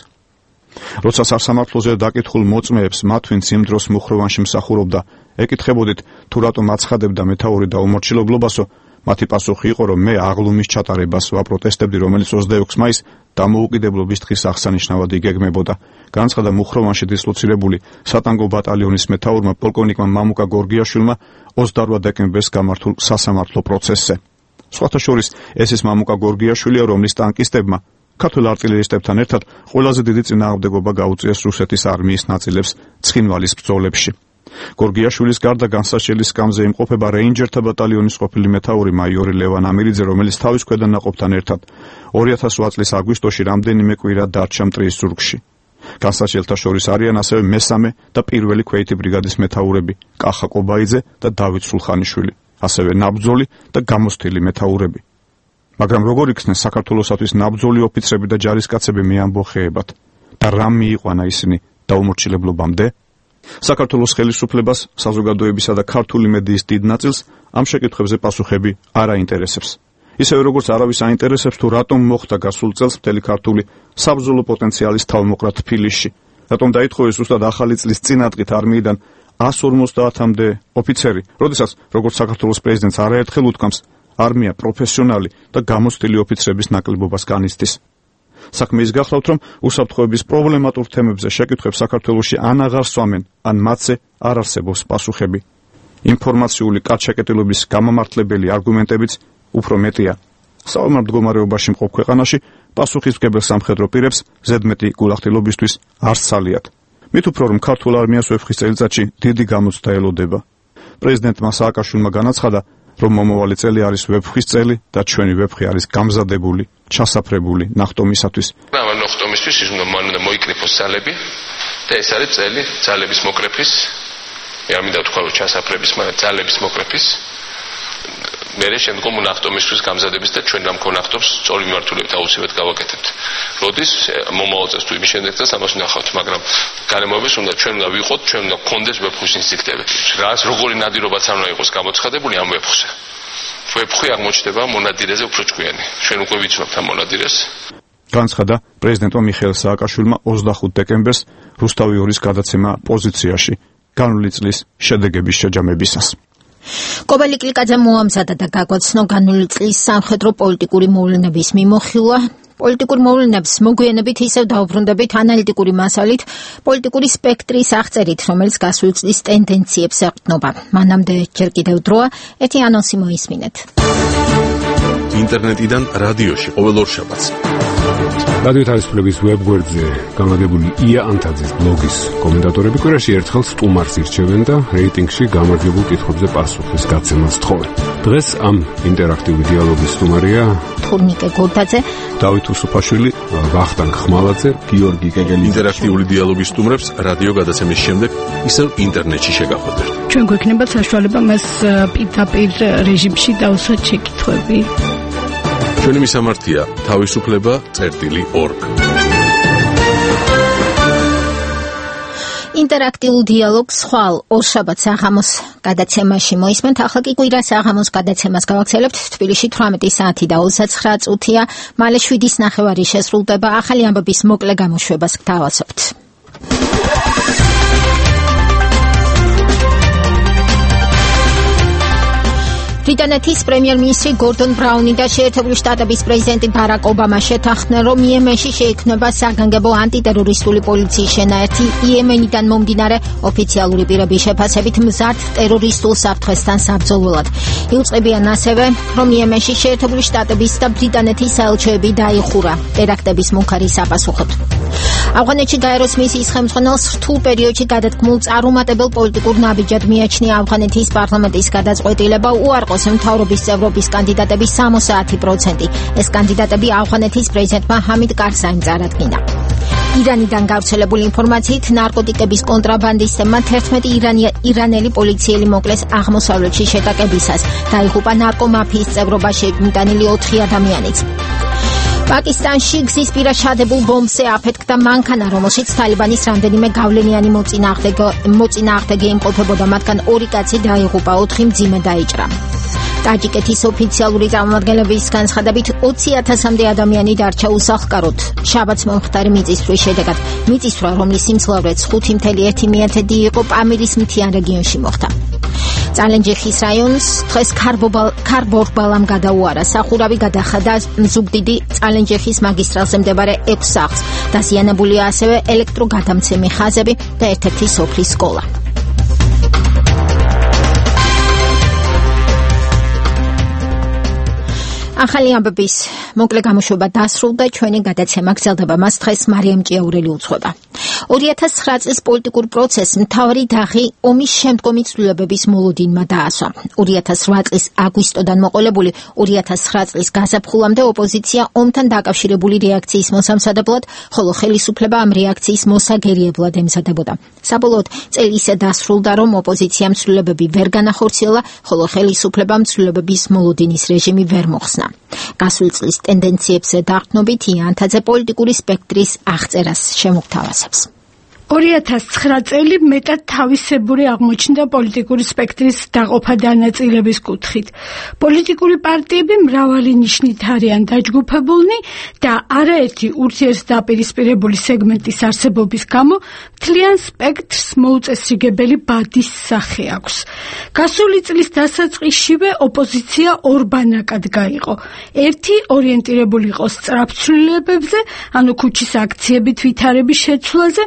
როცა სასამართლოზე დაკითხულ მოწმეებს მათ, ვინც იმ დროს მუხროვანში მსახურობდა, ეკითხებოდით თუ რატომ აცხადებდა მეთაური დაუმორჩილებლობასო, მათი პასუხი იყო, რომ მე აღლუმის ჩატარებას ვაპროტესტებდი, რომელიც ოცდაექვსი მაისს დამოუკიდებლობის დღის აღსანიშნავად იგეგმებოდა. განცხადა მუხროვანში დისლოცირებული სატანგო ბატალიონის მეთაურმა პოლკოვნიკმა მამუკა გორგიაშვილმა ოცდაოთხ დეკემბერს გამართულ სასამართლო პროცესზე. სხვათა შორის ეს ის მამუკა გორგიაშვილია, რომლის ტანკისტებმა ქართულ არტილერისტებთან ერთად ყველაზე დიდი წინააღმდეგობა გაუწიეს რუსეთის არმიის ნაწილებს ცხინვალის ბრძოლებში. გორგიაშვილის გარდა განსაჩელი სკამზე იმყოფება რეინჯერთა ბატალიონის ყოფილი მეთაური მაიორი ლევან ამირიძე, რომელიც თავის ქვედანაყოფთან ერთად ორი ათას ოთხ წლის აგვისტოში რამდენიმე კვირა დარჩა მტრის ზურგში. განსაჩელთა შორის არიან ასევე მესამე და პირველი ქვეითი ბრიგადის მეთაურები კახა კობაიძე და დავით სულხანიშვილი, ასევე ნაბრძოლი და გამოსთილი მეთაურები. მაგრამ როგორ იქნეს საქართველოსათვის ნაბრძოლი ოფიცრები და ჯარისკაცები მეამბოხეებად და რამ მიიყვანა ისინი დაუმორჩილებლობამდე? საქართველოს ხელისუფლებას, საზოგადოებისა და ქართული მედიის დიდ ნაწილს ამ შეკითხვებზე პასუხები არ აინტერესებს. ისევე როგორც არავის აინტერესებს თუ რატომ მოხდა გასულ წელს მთელი ქართული საბრძოლო პოტენციალის თავმოყრა თბილისში, რატომ დაითხოვეს ზუსტად ახალი წლის წინადღით არმიიდან εκατს ორმოცდაათამდე ოფიცერი, როდესაც როგორც საქართველოს პრეზიდენტს არაერთხელ უთქვამს, არმია პროფესიონალი და გამოცდილი ოფიცრების ნაკლებობას განიცდის. საქმე ის გახლავთ, რომ უსაფრთხოების პრობლემატურ თემებზე შეკითხვებს საქართველოში ან აღარ სვამენ, ან მათზე არ არსებობს პასუხები. ინფორმაციული კაცშეკეტილობის გამამართლებელი არგუმენტებიც უფრო მეტია. საომარ მდგომარეობაში მყოფ ქვეყანაში პასუხისმგებელ სამხედრო პირებს ზედმეტი გულახდილობისთვის არ სცალიათ. მით უფრო რომ ქართულ არმიას ვეფხის წელიწადში დიდი გამოცდა ელოდება. პრეზიდენტმა სააკაშვილმა განაცხადა, რომ მომავალი წელი არის ვეფხის წელი და ჩვენი ვეფხი არის გამზადებული, ჩასაფრებული ნახტომისათვის. ამ ნახტომისთვის ის უნდა მოიკრიფოს ძალები და ეს არის წელი ძალების მოკრეფის, მე მინდა თქვა რომ ჩასაფრების, მაგრამ ძალების მოკრეფის. მერე შემდგომ ნახტომისთვის გამზადების და ჩვენ ამ კონახტობს სწორი მიმართულებით აუცილებლად გავაკეთებთ. როდის მომავალ წელს თუ იმის შემდეგ წელს ამას ვნახავთ, მაგრამ გარემოების უნდა ჩვენ უნდა ვიყოთ, ჩვენ უნდა გქონდეს ვეფხვის ინსტინქტები. რას როგორი ნადირობაც არ უნდა იყოს გამოცხადებული ამ ვეფხვზე. ვეფხვი აღმოჩნდება მონადირეზე უფრო ჭკვიანი. ჩვენ უკვე ვიცნობთ ამ მონადირეს. განცხადა პრეზიდენტმა მიხეილ სააკაშვილმა ოცდახუთ დეკემბერს რუსთავი ორის გადაცემა პოზიციაში განვლილი წლის შედეგების შეჯამებისას. კობელი კლიკაძე მოამზადა და გაგვაცნო განვლილი წლის სამხედრო პოლიტიკური მოვლენების მიმოხილვა. პოლიტიკურ მოვლენებს მოგვიანებით ისევ დაუბრუნდებით ანალიტიკური მასალით, პოლიტიკური სპექტრის აღწერით, რომელიც გასული წლის ტენდენციებს ეყრდნობა. მანამდე ჯერ კიდევ დროა, ერთი ანონსი მოისმინეთ. ინტერნეტიდან რადიოში ყოველ ორშაბათს. რადიო თავისუფლების ვებგვერდზე გამაგებული ია ანთაძის ბლოგის კომენტატორები კვირაში ერთხელ სტუმარს ირჩევენ და რეიტინგში გამარჯვებულ კითხვებზე პასუხის გაცემას თხოვენ. დღეს ამ ინტერაქტიული დიალოგის სტუმარია თურნიკე გორდაძე, დავით უსუფაშვილი, ვახტანგ ხმალაძე, გიორგი კეგელი. ინტერაქტიული დიალოგის სტუმრებს რადიო გადაცემის შემდეგ ისევ ინტერნეტში შეგახვედრთ. ჩვენ გვექნება საშუალება მას პირდაპირ რეჟიმში დავუსვათ შეკითხვები. ჩვენი მისამართია თავისუფლება წერტილი ორგ. ინტერაქტიულ დიალოგს ხვალ ორშაბათს საღამოს გადაცემაში მოისმენთ. ახლა კი კვირა საღამოს გადაცემას გავაგრძელებთ. თბილისში თვრამეტი საათი და ოცდაცხრა წუთია. მალე შვიდის ნახევარი შესრულდება. ახალი ამბების მოკლე გამოშვებას გთავაზობთ. ბრიტანეთის პრემიერ-მინისტრი გორდონ ბრაუნი და შეერთებული შტატების პრეზიდენტი ბარაკ ობამა შეთანხმდნენ, რომ იემენში შეიქმნება საგანგებო ანტიტერორისტული პოლიციის შენაერთი იემენიდან მომდინარე ოფიციალური პირების შეფასებით მზარდ ტერორისტულ საფრთხესთან საბრძოლველად. იუწყებიან ასევე, რომ იემენში შეერთებული შტატების და ბრიტანეთის საელჩოები დაიხურა ტერაქტების მუქარი საპასუხოდ. ავღანეთში გაეროს მისიის ხელმძღვანელს რთულ პერიოდში გადადგმულ წარუმატებელ პოლიტიკურ ნაბიჯად მიაჩნია ავღანეთის პარლამენტის გადაწყვეტილება უარყოს მთავრობის წევრობის კანდიდატების სამოცდაათი პროცენტი. ეს კანდიდატები ავღანეთის პრეზიდენტმა ჰამიდ კარზაიმ წარადგინა. ირანიდან გავრცელებული ინფორმაციით ნარკოტიკების კონტრაბანდისტებმა თერთმეტი ირანელი პოლიციელი მოკლეს აღმოსავლეთში შეტაკებისას. დაიღუპა ნარკომაფიის წევრობაში მიტანილი ოთხი ადამიანიც. პაკისტანში გზის პირა ჩადებულ ბომბზე აფეთქდა მანქანა, რომელშიც თალიბანის რამდენიმე გავლენიანი მოწინააღმდეგე იმყოფებოდა, მათგან ორი კაცი დაიღუპა, ოთხი მძიმე დაიჭრა. ტაჯიკეთის ოფიციალური წარმომადგენლების განცხადებით ოცი ათასამდე ადამიანი დარჩა უსახლკაროდ შაბათს მომხდარი მიწისძვრის შედეგად. მიწისძვრა, რომლის სიმძლავრეც ხუთი წუთი ერთი მეათედი იყო, პამირის მთიან რეგიონში მოხდა. წალენჯიხის რაიონს დღეს ქარბორბალამ გადაუარა. სახურავი გადახადა ზუგდიდი წალენჯიხის მაგისტრალზე მდებარე ექვს სახლს. დაზიანებულია ასევე ელექტროგადამცემი ხაზები და ერთ-ერთი სოფლის სკოლა. ახალი ამბების მოკლე გამოშვება დასრულდა, ჩვენი გადაცემა გრძელდება, მას დღეს მარიამ ჭიაურელი უძღვება. ორი ათას ცხრა წლის პოლიტიკურ პროცესს მთავარი დაღი ომის შემდგომი ცვლილებების მოლოდინმა დაასვა. ორი ათას რვა წლის აგვისტოდან მოყოლებული ორი ათას ცხრა წლის გაზაფხულამდე ოპოზიცია ომთან დაკავშირებული რეაქციის მოსამზადებლად, ხოლო ხელისუფლება ამ რეაქციის მოსაგერიებლად ემზადებოდა. საბოლოოდ წელი ისე დასრულდა, რომ ოპოზიციამ ცვლილებები ვერ განახორციელა, ხოლო ხელისუფლებამ ცვლილებების მოლოდინის რეჟიმი ვერ მოხსნა. გასული წლის ტენდენციებზე დაყრდნობით იანთაძე პოლიტიკური სპექტრის აღწერას შემოგთავაზებს. ორი ათას ცხრა წელი მეტად თავისებური აღმოჩნდა პოლიტიკური სპექტრის დაყოფა დანაწილების კუთხით. პოლიტიკური პარტიები მრავალი ნიშნით არიან დაჯგუფებულნი და არაერთი ურთიერთდაპირისპირებული სეგმენტის არსებობის გამო მთლიან სპექტრს მოუწესრიგებელი ბადის სახე აქვს. გასული წლის დასაწყისშივე ოპოზიცია ორ ბანაკად გაიყო. ერთი ორიენტირებული იყო სწრაფ ცვლილებებზე, ანუ ქუჩის აქციებით ვითარების შეცვლაზე,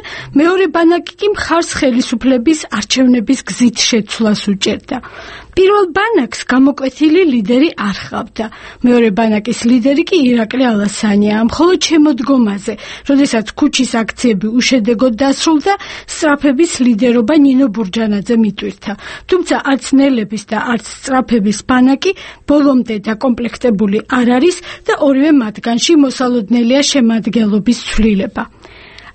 მეორე ბანაკი კი მხარს ხელისუფლების არჩევნების გზით შეცვლას უჭერდა. პირველ ბანაკს გამოკვეთილი ლიდერი არ ჰყავდა. მეორე ბანაკის ლიდერი კი ირაკლი ალასანია. მხოლოდ შემოდგომაზე, როდესაც ქუჩის აქციები უშედეგოდ დასრულდა, სწრაფების ლიდერობა ნინო ბურჯანაძე მიტვირთა. თუმცა არც ნელების და არც სწრაფების ბანაკი ბოლომდე დაკომპლექტებული არ არის და ორივე მათგანში მოსალოდნელია შემადგენლობის ცვლილება.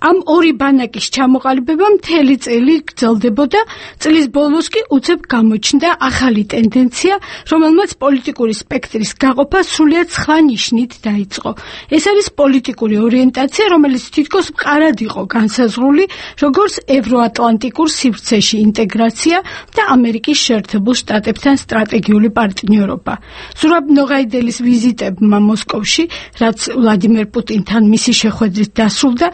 ამ ორი ბანაკის ჩამოყალიბება მთელი წელი გრძელდებოდა, წლის ბოლოს კი უცებ გამოჩნდა ახალი ტენდენცია, რომელმაც პოლიტიკური სპექტრის გაყოფა სრულიად სხვა ნიშნით დაიწყო. ეს არის პოლიტიკური ორიენტაცია, რომელიც თითქოს მყარად იყო განსაზღვრული, როგორც ევროატლანტიკურ სივრცეში ინტეგრაცია და ამერიკის შეერთებულ შტატებთან სტრატეგიული პარტნიორობა. ზურაბ ნოღაიდელის ვიზიტებმა მოსკოვში, რაც ვლადიმერ პუტინთან მისი შეხვედრით დასრულდა,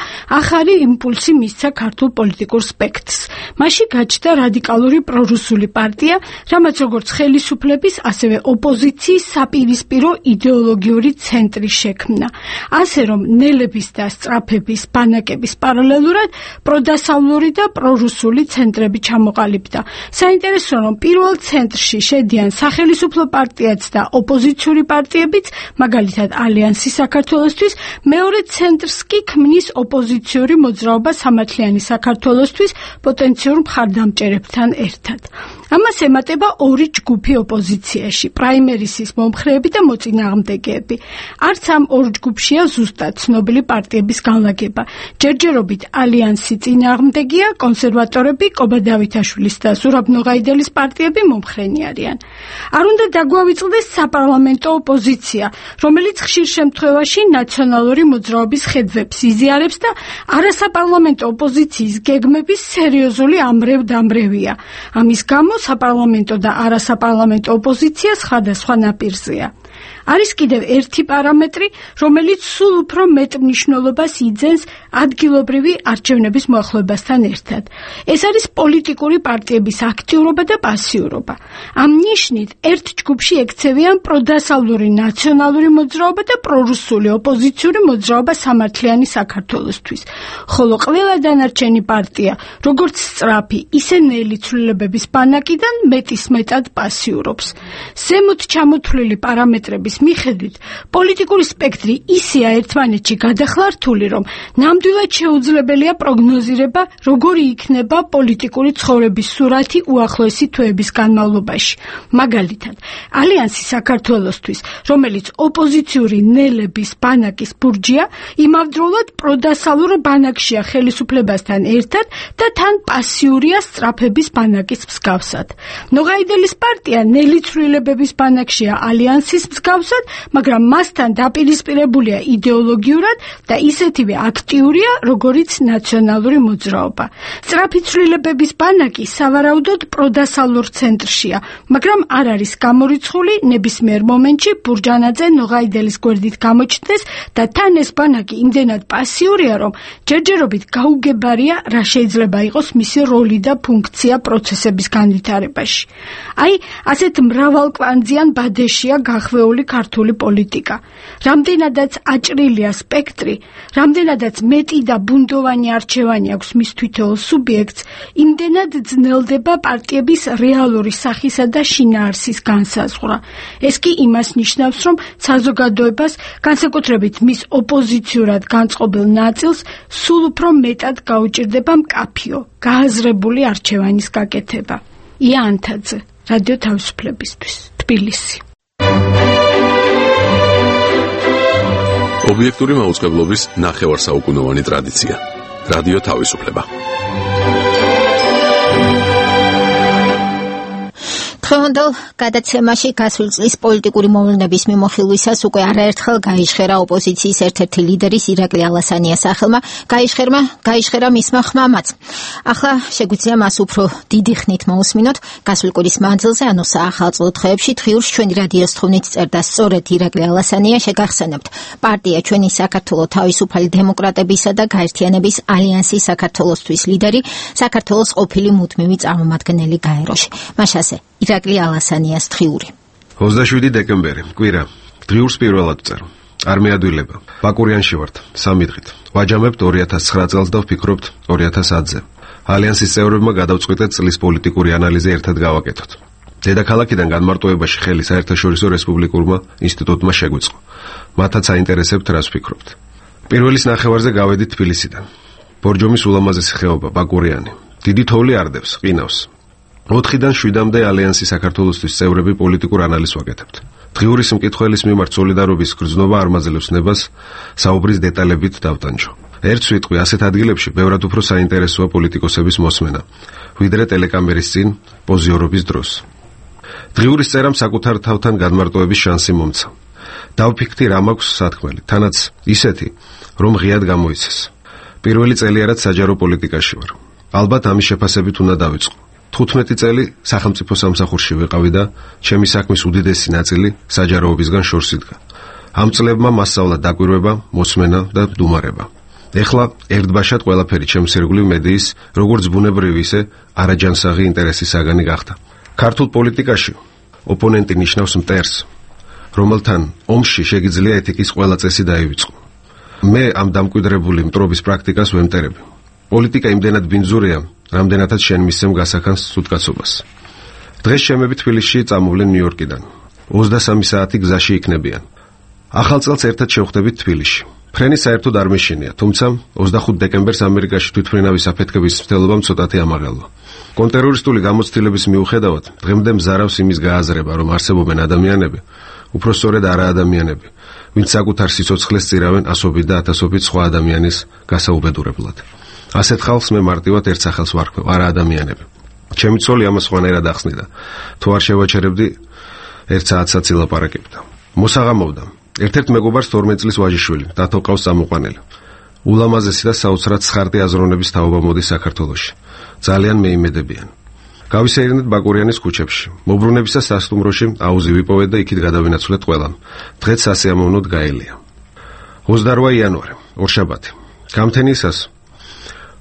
ახალი იმპულსი მისცა ქართულ პოლიტიკურ სპექტრს. მასში გაჩნდა რადიკალური პრორუსული პარტია, რამაც როგორც ხელისუფლების, ასევე ოპოზიციის საპირისპირო იდეოლოგიური ცენტრი შექმნა. ასე რომ ნელების და სწრაფების ბანაკების პარალელურად პროდასავლური და პრორუსული ცენტრები ჩამოყალიბდა. საინტერესოა, რომ პირველ ცენტრში შედიან სახელისუფლო პარტიაც და ოპოზიციური პარტიებიც, მაგალითად ალიანსი საქართველოსთვის, მეორე ცენტრს კი ქმნის ოპოზიციური მოძრაობა სამართლიანი საქართველოსთვის პოტენციურ მხარდამჭერებთან ერთად. ამას ემატება ორი ჯგუფი ოპოზიციაში, პრაიმერისის მომხრეები და მოწინააღმდეგეები. არც ამ ორ ჯგუფშია ზუსტად ცნობილი პარტიების განლაგება. ჯერჯერობით ალიანსი წინააღმდეგია, კონსერვატორები, კობა დავითაშვილის და ზურაბ ნოღაიდელის პარტიები მომხრენი არიან. არ უნდა დაგვავიწყდეს საპარლამენტო ოპოზიცია, რომელიც ხშირ შემთხვევაში ნაციონალური მოძრაობის ხედვებს იზიარებს და არასაპარლამენტო ოპოზიციის გეგმების სერიოზული ამრევ-დამრევია. ამის გამო საპარლამენტო და არასაპარლამენტო ოპოზიცია სხვადასხვა ნაპირზეა. არის კიდევ ერთი პარამეტრი, რომელიც სულ უფრო მეტ მნიშვნელობას იძენს ადგილობრივი არჩევნების მოახლოებასთან ერთად. ეს არის პოლიტიკური პარტიების აქტიურობა და პასიურობა. ამ ნიშნით ერთ ჯგუფში ექცევიან პროდასავლური ნაციონალური მოძრაობა და პრორუსული ოპოზიციური მოძრაობა სამართლიანი საქართველოსთვის, ხოლო ყველა დანარჩენი პარტია, როგორც სწრაფი, ისე ნელი ცვლილებების ბანაკიდან მეტისმეტად პასიურობს. ზემოთ ჩამოთვლილი პარამეტრების მიხედვით, პოლიტიკური სპექტრი ისეა ერთმანეთში გადახლართული, რომ ნამდვილად შეუძლებელია პროგნოზირება, როგორი იქნება პოლიტიკური ცხოვრების სურათი უახლოესი თვეების განმავლობაში. მაგალითად, ალიანსი საქართველოსთვის, რომელიც ოპოზიციური ნელების ბანაკის ბურჯია, იმავდროულად პროდასალურ ბანაკშია ხელისუფლებასთან ერთად და თან პასიურია სწრაფების ბანაკის მსგავსად. ნოღაიდელის პარტია ნელი ცვლილებების ბანაკშია ალიანსის მსგავსად, მაგრამ მასთან დაპირისპირებულია იდეოლოგიურად და ისეთივე აქტიურია, როგორიც ნაციონალური მოძრაობა. სწრაფი ცვლილებების ბანაკი სავარაუდოდ პროდასალურ ცენტრშია, მაგრამ არ არის გამორიცხული ნებისმიერ მომენტში ბურჯანაძე ნოღაიდელის გვერდით გამოჩნდეს და თან ეს ბანაკი იმდენად პასიურია, რომ ჯერჯერობით გაუგებარია, რა შეიძლება იყოს მისი როლი და ფუნქცია პროცესების განვითარებაში. აი, ასეთ მრავალკვანძიან ბადეშია გახვეული ქართული პოლიტიკა. რამდენადაც აჭრილია სპექტრი, რამდენადაც მეტი და ბუნდოვანი არჩევანი აქვს მის თითოეულ სუბიექტს, იმდენად ძნელდება პარტიების რეალური სახისა და შინაარსის განსაზღვრა. ეს კი იმას ნიშნავს, რომ საზოგადოებას, განსაკუთრებით მის ოპოზიციურად განწყობილ ნაწილს, სულ უფრო მეტად გაუჭირდება მკაფიო, გააზრებული არჩევანის გაკეთება. ია ანთაძე, რადიო თავისუფლებისთვის, თბილისი. ობიექტური მაუწყებლობის ნახევარსაუკუნოვანი ტრადიცია. რადიო თავისუფლება. დღევანდელ გადაცემაში გასული წლის პოლიტიკური მოვლენების მიმოხილვისას უკვე არაერთხელ გაიშხერა ოპოზიციის ერთ-ერთი ლიდერის ირაკლი ალასანიას სახელმა, გაიშხერმა, გაიშხერა მისმა ხმამაც. ახლა შეგვიძლია მას უფრო დიდი ხნით მოусმინოთ. გასული კვირის მანძილზე, ანუ საახალწლო დღეებში თხრილს ჩვენი რადიოს თხოვნით წერდა სწორედ ირაკლი ალასანია. შეგახსენებთ, პარტია ჩვენი საქართველო თავისუფალი დემოკრატებისა და გაერთიანების ალიანსი საქართველოსთვის ლიდერი, საქართველოს ყოფილი მუდმივი წარმომადგენელი გაეროში. მაშასე ირაკლი ალასანიას დღიური. ოცდაშვიდი დეკემბერი, კვირა. დღიურს პირველად ვწერ. არ მეადვილება. ბაკურიანში ვართ, სამი დღით. ვაჯამებთ ორი ათას ცხრა წელს და ვფიქრობთ ორი ათას ათზე. ალიანსის წევრებმა გადავწყვიტეთ წლის პოლიტიკური ანალიზი ერთად გავაკეთოთ. დედაქალაქიდან განმარტოებაში ხელი საერთაშორისო რესპუბლიკურმა ინსტიტუტმა შეგვიწყო. მათაც აინტერესებთ, რას ვფიქრობთ. პირველის ნახევარზე გავედით თბილისიდან. ბორჯომის ულამაზესი ხეობა, ბაკურიანი. დიდი თოვლი არდებს, ყინავს. ოთხიდან შვიდამდე ალიანსის საქართველოსთვის წევრები პოლიტიკურ ანალიზს ვაკეთებთ. დღიურის მკითხველის მიმართ სოლიდარობის გრძნობა არ მაძლევს ნებას საუბრის დეტალებით დავტანჯო. ერთ სიტყვი, ასეთ ადგილებში ბევრად უფრო საინტერესოა პოლიტიკოსების მოსმენა, ვიდრე ტელეკამერის წინ პოზიორობის დროს. დღიურის წერამ საკუთარ თავთან განმარტოების შანსი მომცა. დავფიქრდი, რა მაქვს სათქმელი, თანაც ისეთი, რომ ღიად გამოიცეს. პირველი წელიარად საჯარო პოლიტიკაში ვარ. ალბათ ამის შეფასებით უნდა დავიწყო. თხუთმეტი წელი სახელმწიფო სამსახურში ვიყავი და ჩემი საქმის უდიდესი ნაწილი საჯაროობისგან შორს იდგა. ამ წლებმა მასწავლა დაკვირვება, მოსმენა და დუმარება. ეხლა ერთბაშად ყველაფერი ჩემს ირგვლივ მედიის, როგორც ბუნებრივი, ისე არაჯანსაღი ინტერესის საგანი გახდა. ქართულ პოლიტიკაში ოპონენტი ნიშნავს მტერს, რომელთან ომში შეგიძლია ეთიკის ყველა წესი დაივიწყო. მე ამ დამკვიდრებული მტრობის პრაქტიკას ვემტერები. პოლიტიკა იმდენად ბინძურია, რამდენადაც შენ მისცემ გასახანს სუდკაცობას. დღეს შემები თბილისში წამოვლენ ნიუ-იორკიდან. ოცდასამი საათი გზაში იქნებიან. ახალ წელს ერთად შევხვდებით თბილისში. ფრენი საერთოდ არ მეშინია, თუმცა ოცდახუთი დეკემბერს ამერიკაში თვითმფრინავის აფეთქების მცდელობამ ცოტათი ამაღელვა. კონტერორისტული გამოცდილების მიუხედავად, დღემდე მზარავს იმის გააზრება, რომ არსებობენ ადამიანები, უფრო სწორედ არაადამიანები, ვინც საკუთარ სიცოცხლეს წირავენ ასობით და ათასობით სხვა ადამიანის გასაუბედურებლად. ასეთ ხალხს მე მარტივად ერთ სახელს ვარქმევ, არაადამიანები. ჩემი ცოლი ამას სხვანაირად ახსნიდა. თუ არ შევაჩერებდი, ერთ საათსაც ილაპარაკებდა. მოსაღამოვდა. ერთ-ერთ მეგობარს თორმეტი წლის ვაჟიშვილი, დათო ყავს წამოყვანილი. ულამაზესი და საოცრად ცხარტი აზროვნების თაობა მოდის საქართველოში. ძალიან მეიმედებიან. გავისეირნეთ ბაკურიანის ქუჩებში. მობრუნებისა სასტუმროში აუზი ვიპოვეთ და იქით გადავინაცვლეთ ყველამ. დღეც სასიამოვნოდ გაელია. ოცდაოთხი იანვარი, ორშაბათი. გამთენისას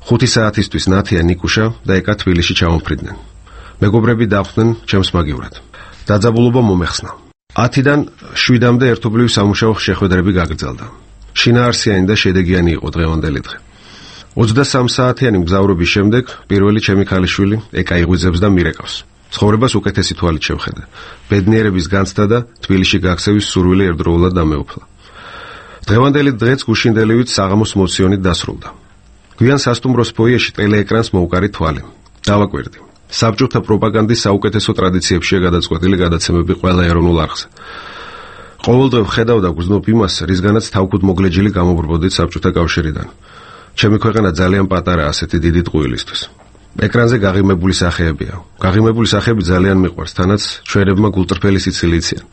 ხუთი საათისთვის ნათია, ნიკუშა და ეკა თბილისში ჩამოფრიდნენ. მეგობრები დახვდნენ ჩემს მაგივრად. დაძაბულობა მომეხსნა. ათიდან შვიდამდე ერთობლივი სამუშაო შეხვედრები გაგრძელდა. შინაარსიანი და შედეგიანი იყო დღევანდელი დღე. ოცდასამ საათიანი მგზავრობის შემდეგ პირველი ჩემი ქალიშვილი ეკა იღვიძებს და მირეკავს. ცხოვრებას უკეთესი თვალით შევხედე. ბედნიერების განცდა და თბილისში გაქცევის სურვილი ერთდროულად დამეუფლა. დღევანდელი დღეც გუშინდელივით საღამოს მოციონით დასრულდა. გვიან სასტუმროს ფოიეში ტელეეკრანს მოუკარი თვალი. დავაკვირდი. საბჭოთა პროპაგანდის საუკეთესო ტრადიციებშია გადაწყვეტილი გადაცემები ყველა ეროვნულ არხზე. ყოველდღე ვხედავ და გრძნობ იმას, რისგანაც თავქუთ მოგლეჯილი გამობრბოდით საბჭოთა კავშირიდან. ჩემი ქვეყანა ძალიან პატარა ასეთი დიდი ტყუილისთვის. ეკრანზე გაღიმებული სახეებია. გაღიმებული სახეები ძალიან მიყვარს, თანაც ჩვენებმა გულწრფელი სიცილი იციან.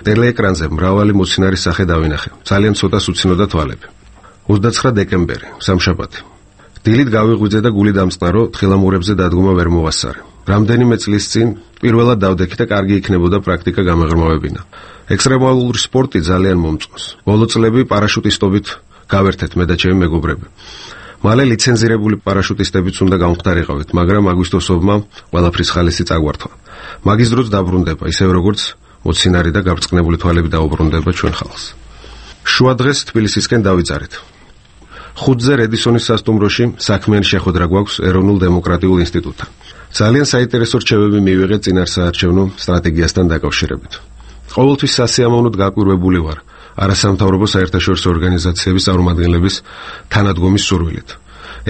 ტელეეკრანზე მრავალი მოცინარის სახე დავინახე. ძალიან ცოტას უცინოდა თვალები. ოცდაცხრა დეკემბერი, სამშაბათი. დილით გავიღვიძე და გული დამწყნარო, თხილამურებზე დადგომა ვერ მოვასწარე. რამდენიმე წლის წინ პირველად დავდექი და კარგი იქნებოდა პრაქტიკა გამეღრმავებინა. ექსტრემალური სპორტი ძალიან მომწონს. ბოლო წლები პარაშუტისტობით გავერთეთ მე და ჩემი მეგობრები. მალე ლიცენზირებული პარაშუტისტებიც უნდა გამხდარიყავით, მაგრამ აგვისტოსობმა ყველაფრის ხალისი წაგვართვა. მაგის დროც დაბრუნდება, ისევ როგორც მოცინარი და გაბრწყნებული თვალები დაუბრუნდება ჩვენ ხალხს. შუა დღეს თბილისისკენ დავიძარით. ხუთზე რედისონის სასტუმროში საქმიანი შეხვედრა გვაქვს ეროვნულ დემოკრატიულ ინსტიტუტთან. ძალიან საინტერესო რჩევები მივიღეთ წინარსაარჩევნო სტრატეგიასთან დაკავშირებით. ყოველთვის სასიამოვნოდ გაკვირვებული ვარ არასამთავრობო საერთაშორისო ორგანიზაციების წარმომადგენლების თანადგომის სურვილით.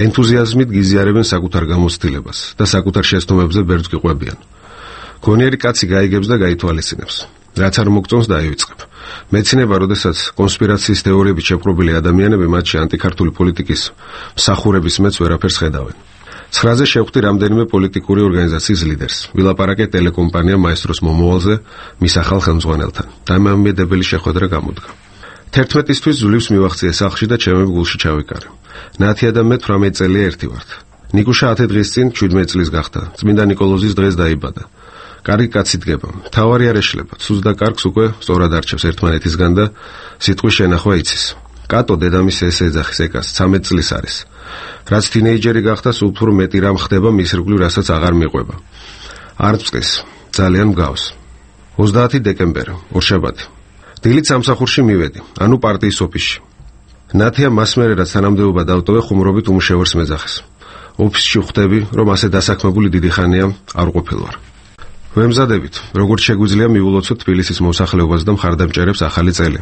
ენთუზიაზმით გიზიარებენ საკუთარ გამოცდილებას და საკუთარ შეცდომებზე ბერძ გიყვებიან. გონიერი კაცი გაიგებს და გაითვალისწინებს. რაც არ მოგწონს დაივიწყებ. მეცნიერება, როდესაც კონსპირაციის თეორიებით შეპყრობილი ადამიანები მათში ანტიქართული პოლიტიკის მსახურების მეც ვერაფერს ხედავენ. ცხრაზე შევხვდი რამდენიმე პოლიტიკური ორგანიზაციის ლიდერს. ვილაპარაკე ტელეკომპანია მაესტროს მომავალზე მის ახალ ხელმძღვანელთან. დამამედებელი შეხვედრა გამოდგა. თერთმეტისთვის ძვლივს მივახციე სახლში და ჩემი გულში ჩავიკარე. ნათია და მე თვრამეტ წელია ერთი ვართ. ნიკუშა ათი დღის წინ შვიდმეტ წლის გახდა. წმინდა ნიკოლოზის დღეს დაიბადა. კარგი კაცი დგება. თავარი არ ეშლება. ცუს და კარგს უკვე სწორად არჩევს ერთმანეთისგან და სიტყვის შენახვა იცის. კატო დედამის ეს ეძახის ეკას ცამეტ წლის არის. რაც თინეიჯერი გახდა, სულ უფრო მეტი რამ ხდება მის ირგვლივ, რასაც აღარ მიყვება. არ წეს, ძალიან მგავს. ოცდაათი დეკემბერი, ორშაბათი. დილით სამსახურში მივედი, ანუ პარტიის ოფისში. ნათია მას მერე რაც თანამდებობა დავტოვე, ხუმრობით უმუშევარს მეძახეს. ოფისში ხვდები, რომ ასე დასაქმებული დიდი ხანია არ ყოფილ ვარ. ვემზადებით, როგორც შეგვიძლია მივულოცოთ თბილისის მოსახლეობას და მხარდამჭერებს ახალი წელი.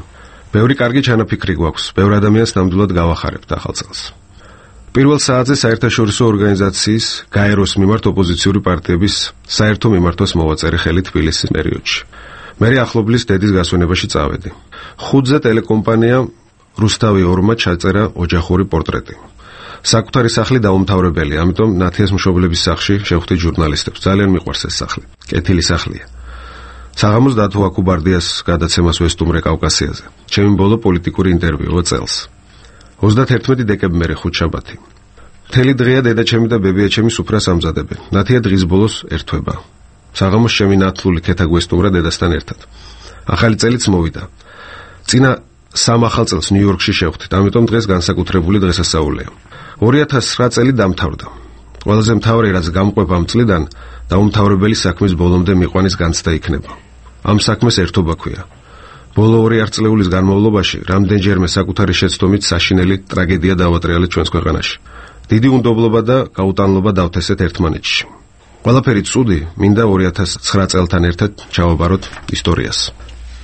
ბევრი კარგი ჩანაფიქრი გვაქვს, ბევრ ადამიანს ნამდვილად გავახარებთ ახალ წელს. პირველ საათზე საერთაშორისო ორგანიზაციის გაეროს მიმართ ოპოზიციური პარტიების საერთო მიმართვას მოვაწერი ხელი თბილისის პერიოდში. მე ახლობლის დედის გასვენებაში წავედი. ხუთზე ტელეკომპანია რუსთავი ორმა ჩაწერა ოჯახური პორტრეტი. საკუთარი სახლი დაუმთავრებელი, ამიტომ ნათიას მშობლების სახლში შევხვდი ჟურნალისტებს. ძალიან მიყვარს ეს სახლი. კეთილი სახლია. საღამოს დათო აკუბარდიას გადაცემას ვესტუმრე კავკასიაზე. ჩემი ბოლო პოლიტიკური ინტერვიუ წელს. ოცდაერთი დეკემბერი, ხუთშაბათი. მთელი დღეა დედაჩემი და ბებიაჩემი სუფრას ამზადებენ. ნათია დღის ბოლოს ერთვება. საღამოს ჩემი ნათლული ქეთა გვესტუმრა დედასთან ერთად. ახალი წელიც მოვიდა. წინა სამ ახალ წელს ნიუ-იორკში შევხვდით, ამიტომ დღეს განსაკუთრებული დღესასწაულია. ორი ათას ცხრა წელი დამთავრდა. ყველაზე მთავარი რაც გამყვება ამ წლიდან, დაუმთავრებელი საქმის ბოლომდე მიყვანის განცდა იქნება. ამ საქმეს ერთობა ქვია. ბოლო ორი ათწლეულის განმავლობაში რამდენჯერმე საკუთარი შეცდომით საშინელი ტრაგედია დავატრიალეთ ჩვენს ქვეყანაში. დიდი უნდობლობა და გაუტანლობა დავთესეთ ერთმანეთში. ყველაფერი ცუდი მინდა ორი ათას ცხრა წელთან ერთად ჩავაბაროთ ისტორიას.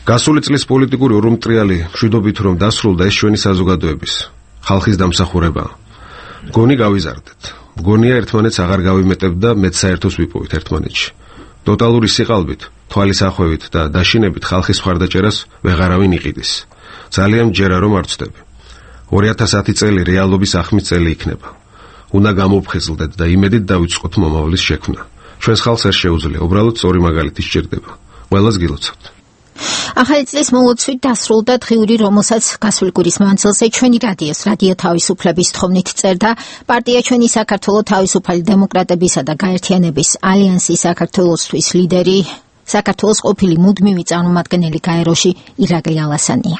გასული წლის პოლიტიკური ურმტრიალი მშვიდობით რომ დასრულდა, ეს ჩვენი საზოგადოების, ხალხის დამსახურებაა. მგონი გავიზარდეთ. მგონია ერთმანეთს აღარ გავიმეტებთ და მეც საერთოს ვიპოვით ერთმანეთში. ტოტალური სიყალბით, თვალის ახვევით და დაშინებით ხალხის მხარდაჭერას ვეღარავინ იყიდის. ძალიან მჯერა რომ არ ვწდები. ორი ათას ათი წელი რეალობის ახმის წელი იქნება. უნდა გამოფხიზლდეთ და იმედით დავიწყოთ მომავლის შექმნა. ჩვენს ხალხს არ შეუძლია, უბრალოდ სწორი მაგალითი სჭირდება. ყველას გილოცავთ. ახალი წლის მოლოცვით დასრულდა დღიური, რომელსაც გასული კვირის მანძილზე ჩვენი რადიოს რადიო თავისუფლების თხოვნით წერდა პარტია ჩვენი საქართველო თავისუფალი დემოკრატებისა და გაერთიანების ალიანსის საქართველოსთვის ლიდერი, საქართველოს ყოფილი მუდმივი წარმომადგენელი გაეროში ირაკლი ალასანია.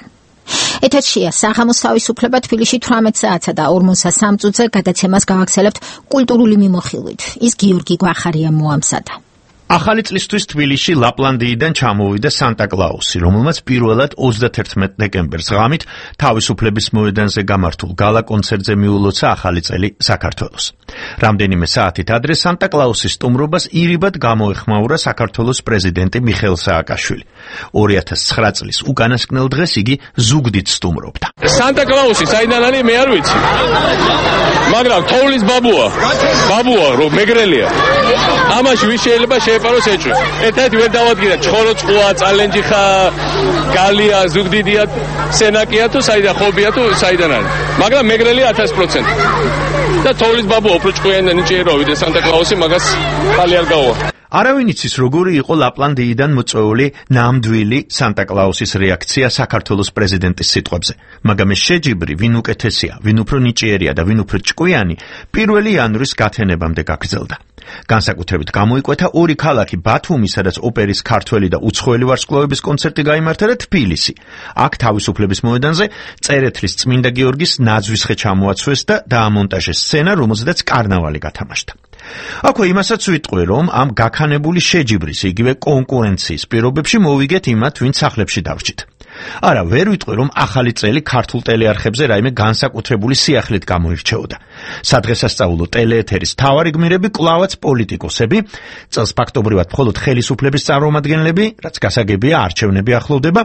ეთერშია საღამოს თავისუფლება თბილისში თვრამეტ საათსა და ორმოცდა სამ წუთზე გადაცემას გავაგრძელებთ კულტურული მიმოხილვით. ის გიორგი გვახარია მოამზადა. ახალი წლისთვის თბილისში ლაპლანდიიდან ჩამოვიდა სანტა კლაუსი, რომელმაც პირველად ოცდათერთმეტ დეკემბერს ღამით თავისუფლების მოედანზე გამართულ გალა კონცერტზე მიულოცა ახალი წელი საქართველოს. რამდენიმე საათით ადრე სანტა კლაუსის სტუმრობას ირიბად გამოეხმაურა საქართველოს პრეზიდენტი მიხეილ სააკაშვილი. ორი ათას ცხრა წლის უკანასკნელ დღეს იგი ზუგდიდ სტუმრობდა. სანტა კლაუსი საიდან არის მე არ ვიცი. მაგრამ თოვლის ბაბუა, ბაბუა რომ მეგრელია. ამაში ვის შეიძლება შეეპაროს ეჭვი. ერთად ვერ დავადგინე ჩხოროწყუა, წალენჯიხა, გალია, ზუგდიდია, სენაკია თუ საიდან ხობია თუ საიდან არის. მაგრამ მეგრელია ათას პროცენტი. და თოვლის ბაბუა უფრო ჭკვიანი ნიჭიერო ვიდრე სანტა კლაუსი, მაგას ხალი არ გაუვა. არავინ იცის როგორი იყო ლაპლანდიიდან მოწვეული ნამდვილი სანტა კლაუსის რეაქცია საქართველოს პრეზიდენტის სიტყვებზე, მაგრამ ეს შეჯიბრი ვინ უკეთესია, ვინ უფრო ნიჭიერია და ვინ უფრო ჭკვიანი პირველი იანვრის გათენებამდე გაგრძელდა. განსაკუთრებით გამოიკვეთა ორი ქალაქი ბათუმი, სადაც ოპერის ქართველი და უცხოელი ვარსკვლავების კონცერტი გაიმართა და თბილისი. აქ თავისუფლების მოედანზე წერეთლის წმინდა გიორგის ნაძვისხე ჩამოაცვეს და დაამონტაჟეს სცენა, რომელზედაც კარნავალი გათამაშდა. აქვე იმასაც ვიტყვი, რომ ამ გაქანებული შეჯიბრის, იგივე კონკურენციის პირობებში მოვიგეთ იმათ, ვინც სახლებში დავრჩით. არა, ვერ ვიტყვი, რომ ახალი წელი ქართულ ტელეარხებზე რაიმე განსაკუთრებული სიახლით გამოირჩეოდა. სადღესასწაულო ტელეეთერის მთავარი გმირები კვლავაც პოლიტიკოსები, წელს ფაქტობრივად მხოლოდ ხელისუფლების წარმომადგენლები, რაც გასაგებია, არჩევნები ახლოვდება,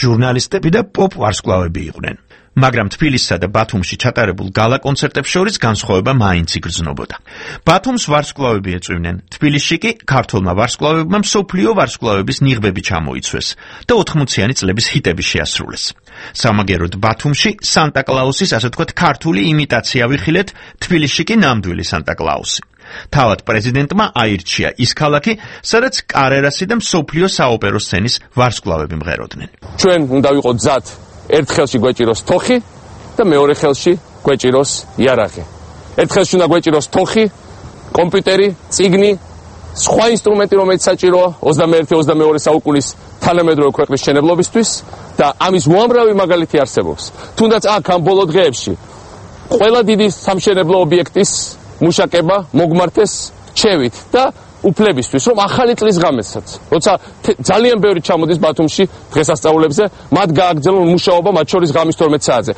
ჟურნალისტები და პოპ ვარსკვლავები იყვნენ. მაგრამ თბილისსა და ბათუმში ჩატარებულ გალა კონცერტებს შორის განსხვავება მაინც იგრძნობოდა. ბათუმს ვარსკვლავები ეწვივნენ, თბილისში კი ქართველმა ვარსკვლავებმა მსოფლიო ვარსკვლავების ნიღბები ჩამოიცვეს და ოთხმოციანი წლების ჰიტები შეასრულეს. სამაგეროდ ბათუმში სანტა კლაუსის, ასე თქვათ, ქართული იმიტაცია ვიხილეთ, თბილისში კი ნამდვილი სანტა კლაუსი. თავად პრეზიდენტმა აირჩია ის ქალაქი, სადაც კარერასი და მსოფლიო საოპერო სცენის ვარსკვლავები მღეროდნენ. ჩვენ უნდა ვიყოთ გზად ერთ ხელში გვეჭიროს თოხი და მეორე ხელში გვეჭიროს იარაღი. ერთ ხელში უნდა გვეჭიროს თოხი, კომპიუტერი, წიგნი, სხვა ინსტრუმენტი, რომელიც საჭიროა ოცდამეერთე ოცდამეორე საუკუნის თანამედროვე ქვეყნის მშენებლობისთვის და ამის უამრავი მაგალითი არსებობს. თუნდაც აქ ამ ბოლო დღეებში ყველა დიდი სამშენებლო ობიექტის მუშაკება მოგმართეს ჩევით და უფლებისთვის, რომ ახალი წლის ღამესაც, როცა ძალიან ბევრი ჩამოდის ბათუმში დღესასწაულებზე, მათ გააგრძელონ მუშაობა მათ შორის ღამის თორმეტ საათზე.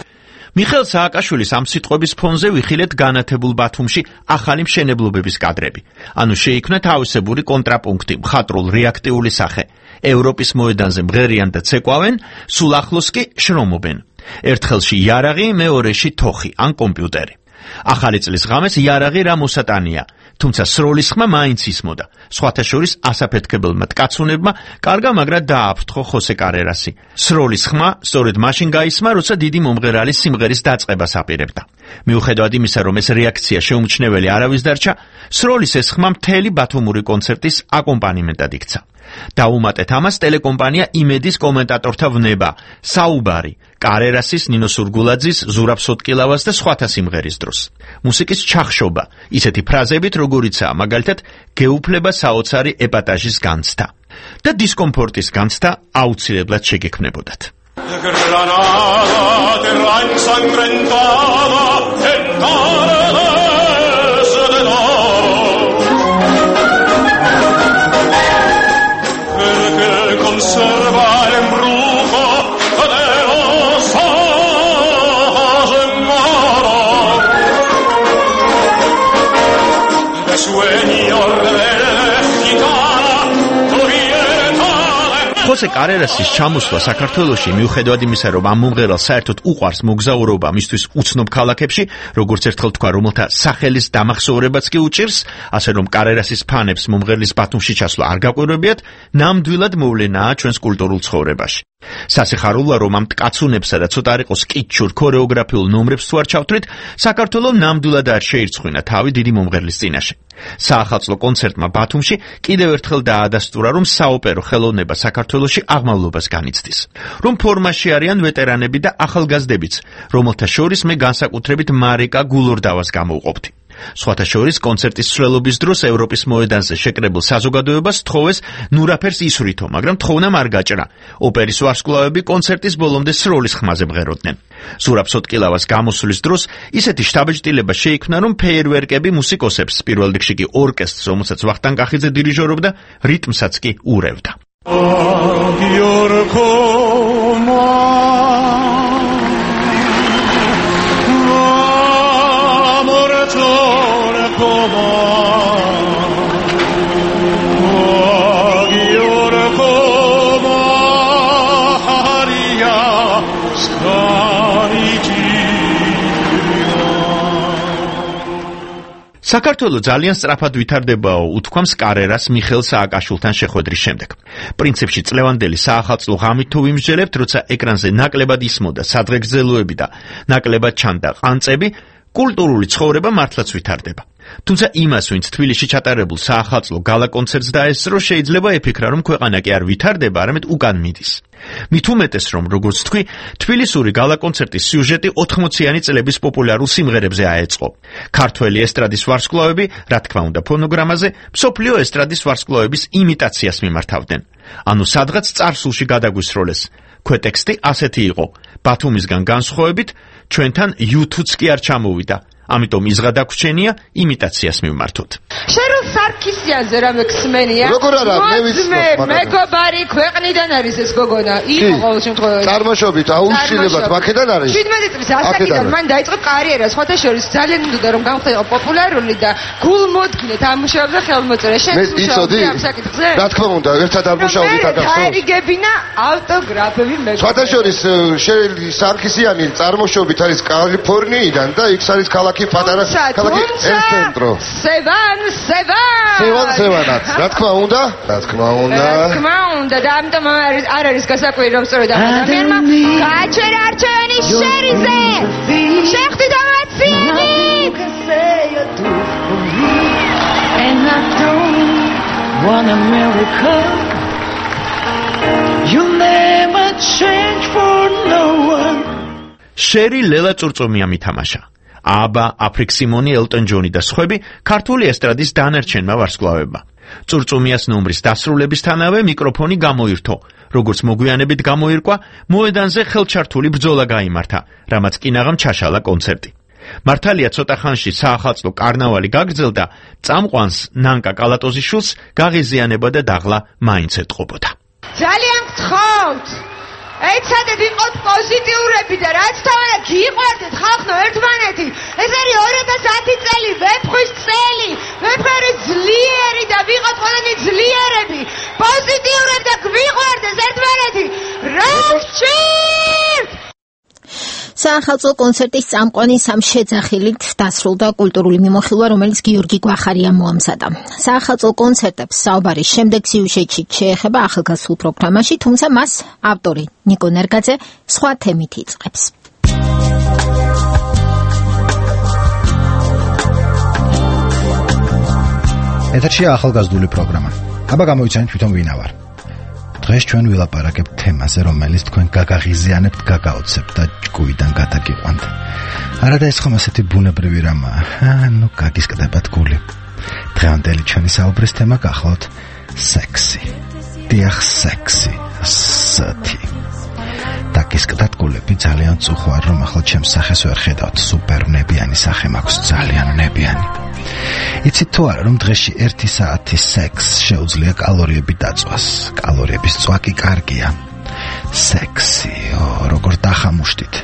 მიხეილ სააკაშვილის ამ სიტყვების ფონზე ვიხილეთ განათებულ ბათუმში ახალი მშენებლობების კადრები. ანუ შეიქმნა თავისებური კონტრაპუნქტი, მხატვრულ რეაქტიული სახე. ევროპის მოედანზე მღერიან და ცეკვავენ, სულ ახლოს კი შრომობენ. ერთ ხელში იარაღი, მეორეში თოხი ან კომპიუტერი. ახალი წლის ღამეს იარაღი რა მოსატანია, თუმცა სროლის ხმა მაინც ისმოდა. სხვათა შორის ასაფეთქებელმა ткаცუნებმა კარგა მაგრა დააფრთხო ხოსე კარერასი. სროლის ხმა სწორედ მაშინ გაისმა, როცა დიდი მომღერალის სიმღერის დაწყებას აპირებდა. მიუხედავად იმისა, რომ ეს რეაქცია შეუმჩნეველი არავის დარჩა, სროლის ეს ხმა მთელი ბათუმური კონცერტის აკომპანიმენტად იქცა. დაუმატეთ ამას ტელეკომპანია იმედის კომენტატორთა ვნება, საუბარი, კარერასის, ნინო სურგულაძის, ზურაბ სოტკილავას და სხვათა სიმღერის დროს. მუსიკის ჩახშობა, ისეთი ფრაზებით, როგორიცაა მაგალითად გეუფლება საოცარი ეპატაჟის განცდა და დისკომფორტის განცდა აუცილებლად შეგექმნებოდათ. ხოსე კარერასის ჩამოსვლა საქართველოში, მიუხედავად იმისა, რომ ამ მომღერალს საერთოდ უყვარს მოგზაურობა მისთვის უცნობ ქალაქებში, როგორც ერთხელ თქვა, რომელთა სახელის დამახსოვრებაც კი უჭირს, ასე რომ კარერასის ფანებს მომღერლის ბათუმში ჩასვლა არ გაკვირვებიათ, ნამდვილად მოვლენაა ჩვენს კულტურულ ცხოვრებაში. სასიხარულოა, რომ ამ ткаცუნებსა და ცოტა არ იყოს კიჩურ ქორეოგრაფიულ ნომრებს თუ არ ჩავთვლით, საქართველო ნამდვილად არ შეირცხვინა თავი დიდი მომღერლის წინაშე. საახალწლო კონცერტმა ბათუმში კიდევ ერთხელ დაადასტურა, რომ საოპერო ხელოვნება საქართველოში აღმავლობას განიცდის, რომ ფორმაში არიან ვეტერანები და ახალგაზრდებიც, რომელთა შორის მე განსაკუთრებით მარიკა გულორდავას გამოვყოფდი. სხვათა შორის კონცერტის მსვლელობის დროს ევროპის მოედანზე შეკრებილ საზოგადოებას თხოვეს ნურაფერს ისვრითო, მაგრამ თხოვნა არ გაჭრა. ოპერის ვარსკვლავები კონცერტის ბოლომდე სროლის ხმაზე მღეროდნენ. ზურაბ სოტკილავას გამოსვლის დროს ისეთი შთაბეჭდილება შეიქმნა, რომ ფეიერვერკები მუსიკოსებს, პირველ რიგში კი ორკესტრს, რომელსაც ვახტანგ კახიძე დირიჟორობდა, რიტმსაც კი ურევდა. საქართველო ძალიან სწრაფად ვითარდებაო, უთქვამს კარერას მიხეილ სააკაშვილთან შეხვედრის შემდეგ. პრინციპში წლევანდელი საახალწლო ღამით თუ ვიმსჯელებთ, როცა ეკრანზე ნაკლებად ისმოდა სადღეგრძელოები და ნაკლებად ჩანდა ყანწები, კულტურული ცხოვრება მართლაც ვითარდება. თუმცა იმას, ვინც თბილისში ჩატარებულ საახალწლო გალა კონცერტს დაესწრო, შეიძლება ეფიქრა, რომ ქვეყანა კი არ ვითარდება, არამედ უკან მიდის. მით უმეტეს, რომ როგორც თქვი, თბილისური გალა კონცერტის სიუჟეტი ოთხმოციანი წლების პოპულარულ სიმღერებზე აეწყო. ქართველი ესტრადის ვარსკვლავები, რა თქმა უნდა, ფონოგრამაზე, მსოფლიო ესტრადის ვარსკვლავების იმიტაციას მიმართავდნენ. ანუ სადღაც წარსულში გადაგვისროლეს. ქვეტექსტი ასეთი იყო: ბათუმისგან განსხვავებით, ჩვენთან იუთუც კი არ ჩამოვიდა. ამიტომ იზღა დაგვრჩენია იმიტაციას მივმართოთ. შერულ სარქისიანზე რამე ხსმენია? როგორ არა, მე ვიცნობ, მაგრამ მეგობარი ქვეყნიდან არის ეს გოგონა. იყო ყოველ შემთხვევაში. წარმოშობით აუცილებლად მაქედან არის. შვიდმეტი წლის ასაკიდან მან დაიწყო კარიერა, სხვათა შორის ძალიან უნდა რომ გამხდარიყო პოპულარული და გულმოდგინედ ამუშავებდა ხელმოწერა. შენ მუშაობდი ამ საკითხზე? რა თქმა უნდა, ერთად არ მუშაობდით აკახო. დაერიგებინა ავტოგრაფები მეგობარი. სხვათა შორის შერულ სარქისიანი წარმოშობით არის კალიფორნიიდან და იქ არის ქალაქი პატარა ქალაქი ელცენტრო. სევან, სევან. სევან, სევანაც. რა თქმა უნდა? რა თქმა უნდა. რა თქმა უნდა და ამიტომ არ არის გასაკვირი რომ სწორედ ამ ადამიანმა გააჩერა არჩევანი შერიზე. შეხტი დამაციები. And I don't want a miracle. You'll never change for no one. შერი ლელა წურწუმია მითამაშა. აბა, აფრიკ სიმონი, ელტონ ჯონი და სხვები ქართული ესტრადის დანარჩენმა ვარსკვლავებმა. წურწუმიას ნომრის დასრულებისთანავე მიკროფონი გამოირთო. როგორც მოგვიანებით გამოირკვა, მოედანზე ხელჩართული ბრძოლა გაიმართა, რამაც კინაღამ ჩაშალა კონცერტი. მართალია ცოტა ხანში საახალწლო კარნავალი გაგრძელდა, წამყვანს ნანკა კალატოზიშვილს გაღიზიანება და დაღლა მაინც ეტყობოდა. ძალიან გთხოვთ, ეცადეთ ვიყოთ პოზიტიურები და რაც თავადა გიყვარდეთ ხალხო ერთმანეთი. ეს არის ორი ათას ათი წელი, ვეფხვის წელი, ვეფხარი ძლიერი და ვიყოთ ყველანი ძლიერები, პოზიტიურები და გვიყვარდეს ერთმანეთი. რა გჭირთ? საახალწლო კონცერტის წამყვანი სამ შეძახილით დასრულდა კულტურული მიმოხილვა, რომელიც გიორგი გვახარიამ მოამზადა. საახალწლო კონცერტებს საუბარი შემდეგ სიუჟეტში შეეხება ახალგაზრდულ პროგრამაში, თუმცა მას ავტორი ნიკო ნერგაძე სხვა თემით იწყებს. ეთერშია ახალგაზრდული პროგრამა. აბა გამოიცანით თვითონ ვინა ვარ. დღეს ჩვენ ვილაპარაკებთ თემაზე, რომელიც თქვენ გაგაღიზიანებთ, გაგაოცებთ და ჭკუიდან გადაგიყვანთ. არა და ეს ხომ ასეთი ბუნებრივი რამაა. ანუ გაგისკდებათ გული. დღევანდელი ჩვენი საუბრის თემა გახლავთ სექსი. დიახ, სექსი. ასეთი. დაგისკდათ გულები ძალიან წუხვარ, რომ ახლა ჩემს სახეს ვერ ხედავთ. სუპერნებიანი სახე მაქვს, ძალიან ნებიანი. იცით თუ არა, რომ დღეში ერთი საათი სექს შეუძლია კალორიები დაწვას. კალორიების წვა კი კარგია. სექსი, ო, როგორ დახამუშტით.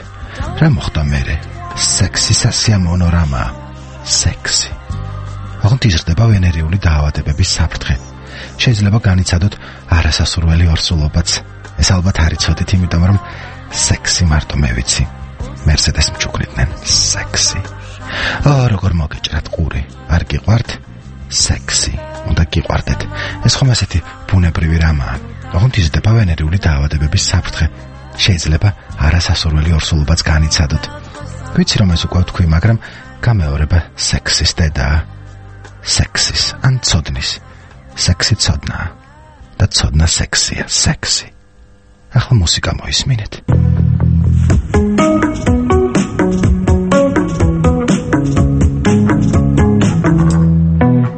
რა მოხდა მერე? სექსი სასიამოვნო რამაა. სექსი. ოღონდ იზრდება ვენერიული დაავადებების საფრთხე. შეიძლება განიცადოთ არასასურველი ორსულობაც. ეს ალბათ არ იცოდით, იმიტომ რომ სექსი მარტო მე ვიცი. მერსედეს მჩუქნიდნენ სექსი. ო, როგორ მოგეჭრათ ყური. არ გიყვართ? სექსი. უნდა გიყვარდეთ. ეს ხომ ასეთი ბუნებრივი რამაა. ოღონდ იზრდება ვენერიული დაავადებების საფრთხე. შეიძლება არასასურველი ორსულობაც განიცადოთ. ვიცი რომ ეს უკვე თქვი, მაგრამ გამეორება სექსის დედაა. სექსის ან ცოდნის. სექსი ცოდნა და ცოდნა სექსია, სექსი. ახლა მუსიკა მოისმინეთ.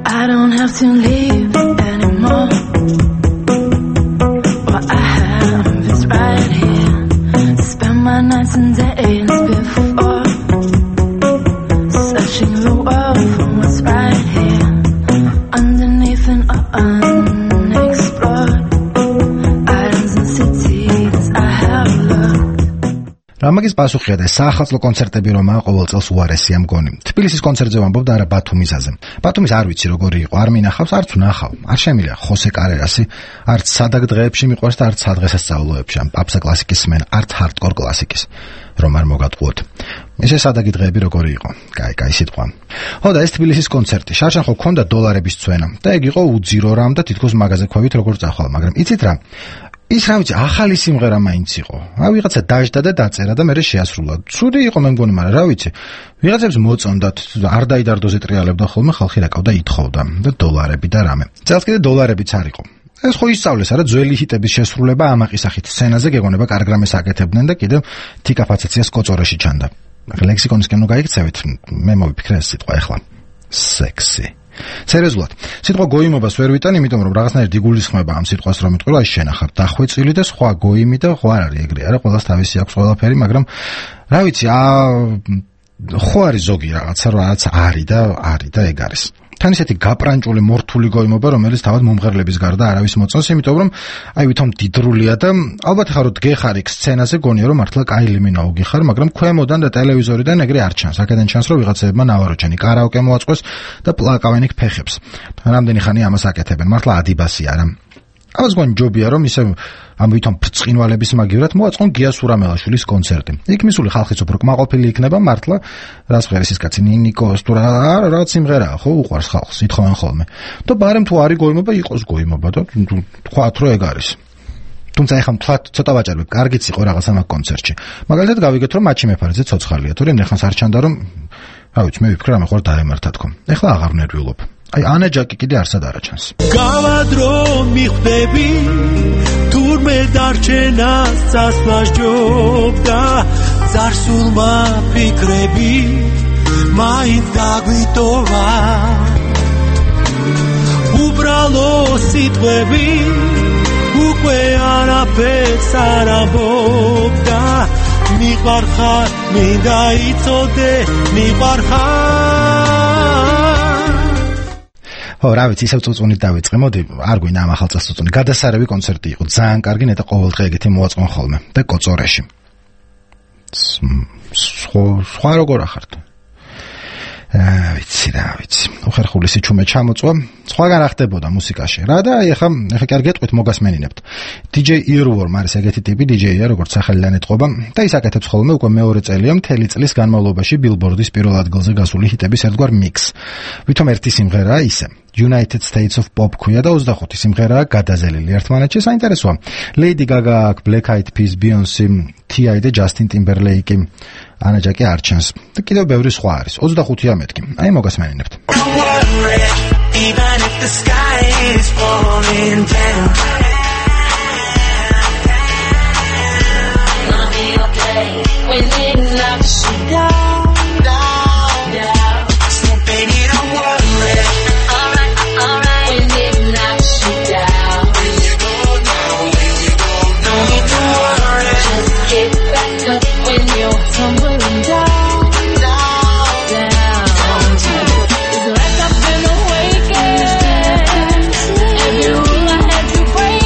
I don't have to leave anymore. What I have is right here. Spend my nights and days before searching the world for what's right here underneath and unexplored islands and cities I have looked. რამაგის პასუხია და საახალწლო კონცერტები რომაა ყოველ წელს უარესია მგონი. თბილისის კონცერტზე ვამბობ და არა ბათუმისაზე. ბათუმის არ ვიცი როგორი იყო, არ მინახავს, არც ვნახავ. არ შემიძლია ხოსე კარერასი, არც საдаг დღეებში მიყვარს და არც სადღესასწაულოებში, ან პაპსა კლასიკის სმენ, არც ჰარდკორ კლასიკის. რომ არ მოგატყუოთ. ესე საдаგი დღეები როგორი იყო? კაი, კაი სიტყვა. ხო და ეს თბილისის კონცერტი. შარშან ხო ქონდა დოლარების წვენა და ეგ იყო უძირო რამ და თითქოს მაღაზია ქვევით როგორ წახვალ, მაგრამ იცით რა? ის რა ვიცი, ახალი სიმღერა მაინც იყო. აი ვიღაცა დაждდა და დაწერა და მერე შეასრულა. ცუდი იყო მე მგონი, მაგრამ რა ვიცი. ვიღაცებს მოწონდათ, არ დაიდარდოზე ტრიალებდა ხოლმე, ხალხი რაკავდა ითხოვდა და დოლარები და რამე. წელს კიდე დოლარებიც არ იყო. ეს ხო ისწავლეს, არა ძველი ჰიტების შესრულება ამაყის სახით სცენაზე გეგონება კარგრამეს აკეთებდნენ და კიდევ თიკაფაცაციას კოწორეში ჩანდა. ლექსიკონისკენ ნუ გაიქცევით, მე მოვიფიქრე ეს სიტყვა ახლა. სექსი. სერიოზულად, სიტყვა გოიმობას ვერ ვიტან, იმიტომ რომ რაღაცნაირად იგულისხმება ამ სიტყვას რომ იტყვა, აი შენახავ დახვეწილი და სხვა გოიმი და ხო არ არის ეგრე, არა, ყველას თავისი აქვს ყველაფერი, მაგრამ რა ვიცი, აა ხო არის ზოგი რაღაცა, რაც არის და არის და ეგ არის. თან ისეთი გაპრანჭული მორთული გოიმობა, რომელიც თავად მომღერლების გარდა არავის მოწონს, იმიტომ რომ აი ვითომ დიდრულია და ალბათ ხარ რომ დგეხარ იქ სცენაზე, გონია რომ მართლა კაილი მინაუგი ხარ, მაგრამ ქვემოდან და ტელევიზორიდან ეგრე არ ჩანს. აქედან ჩანს რომ ვიღაცებმა ნავაროჩენი კარაოკე მოაწყვეს და პლაკავენ იქ ფეხებს. რამდენი ხანი ამას აკეთებენ? მართლა ადიბასი არა. ამას გონი ჯობია რომ ისე ამ ვითომ ბრწყინვალების მაგივრად მოაწყონ გია სურამელაშვილის კონცერტი. იქ მისული ხალხიც უფრო კმაყოფილი იქნება მართლა, რას ღერეს ის კაცი ნინიკოს თუ რა რა სიმღერაა, ხო უყვარს ხალხს, ითხოვენ ხოლმე. და ბარემ თუ არის გოიმობა, იყოს გოიმობა და თქვათ რომ ეგ არის. თუმცა ეხლა მთლად ცოტა ვაჭარბებ, კარგიც იყო რაღაც ამ კონცერტში. მაგალითად გავიგეთ რომ მაჩი მეფარეძე ცოცხალია, თუ რემდენ ხანს არ ჩანდა რომ რა ვიცი, მე ვიფიქრე რა მეხوار დაემართა თქო. ეხლა აღარ ნერვიულობ. აი ანა ჯაკი კიდე არსად არ აჩანს. გავადრო მიხვდები თურმე დარჩენას წასვლა ზარსულმა ფიქრები მაინც გაგვიტოვა უბრალო სიტყვები უკვე არაფერს არ ამბობდა მიყვარხარ მინდა იცოდე მიყვარხარ ხო, რა ვიცი, ისევ წუწუნით დავიწყე. მოდი, არ გვინდა ამ ახალ წელს წუწუნი. გადასარევი კონცერტი იყო. ძალიან კარგი, ნეტა ყოველდღე ეგეთი მოაწყონ ხოლმე და კოწორეში. სხვა როგორ ახართ? აა, ვიცი რა, ვიცი. უხერხული სიჩუმე ჩამოწვა. სხვაგან რა ხდებოდა მუსიკაში. რა და აი ახლა ახლა კი არ გეტყვით, მოგასმენინებთ. დი ჯეი Earworm არის ეგეთი ტიპი დი ჯეია, როგორც სახელიდან ეტყობა და ის აკეთებს ხოლმე უკვე მეორე წელია მთელი წლის განმავლობაში Billboard-ის პირველ ადგილზე გასული ჰიტების ერთგვარ მიქსს. ვითომ ერთი სიმღერაა ისე United States of Pop ქვია და ოცდახუთი სიმღერაა გადაზელილი ერთმანეთში. საინტერესოა. Lady Gaga, Black Eyed Peas, Beyoncé, T I და Justin Timberlake, ანა ჯაკი არ ჩანს. და კიდევ ბევრი სხვა არის. ოცდახუთია მეთქი. აი მოგასმენინებთ. Even if the sky is falling down, I'll be okay when it knocks you down, down, down. So baby, don't worry. Alright, alright. When it knocks you down, when you go down, when you go down, don't need to worry. Just get back up when you're tumbling down. Break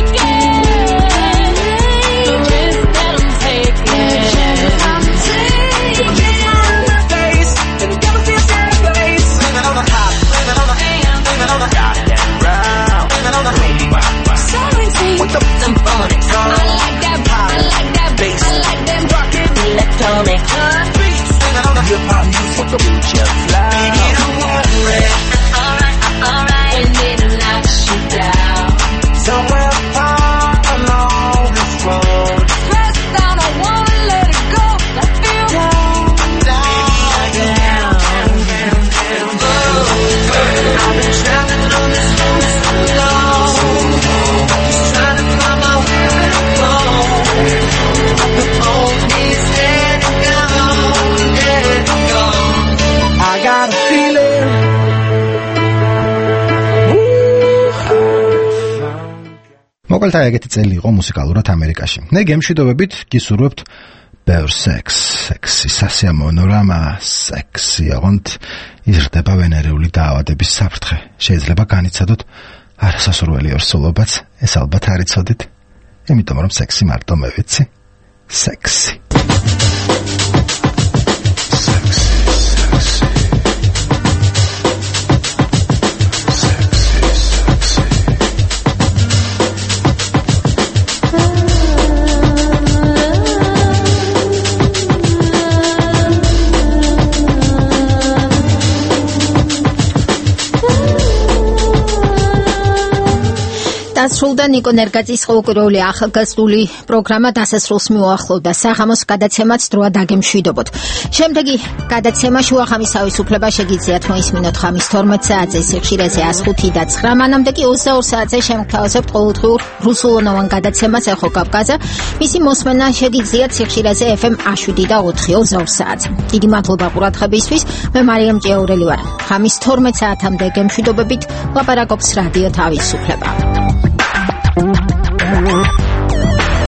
მოკლედ აი ეგეთი წელი იყო მუსიკალურად ამერიკაში. მე გემშვიდობებით გისურვებთ ბევრ სექს, სექსი სასიამოვნო რამა, სექსი აღონთ იზრდება ვენერიული დაავადების საფრთხე. შეიძლება განიცადოთ არასასურველი ორსულობაც, ეს ალბათ არ იცოდით, იმიტომ რომ სექსი მარტო მე ვიცი. სექსი. დასრულდა ნიკო ნერგაძის ყოველკვირეული ახალგაზრდული პროგრამა დასასრულს მიუახლოვდა. საღამოს გადაცემაც დროა დაგემშვიდობოთ. შემდეგი გადაცემა შუახამის თავისუფლება შეგიძლიათ მოისმინოთ ხამის თორმეტ საათზე, სიხშირეზე one oh five და nine, მანამდე კი twenty-four საათზე შემგთავაზებთ ყოველდღიურ რუსულენოვან გადაცემას ეხო კავკაზა. მისი მოსმენა შეგიძლიათ სიხშირეზე F M one seven და four twenty-four საათზე. დიდი მადლობა ყურადღებისთვის. მე მარიამ ჭიაურელი ვარ. ხამის თორმეტ საათამდე გემშვიდობებით. ლაპარაკობს რადიო თავისუფლება.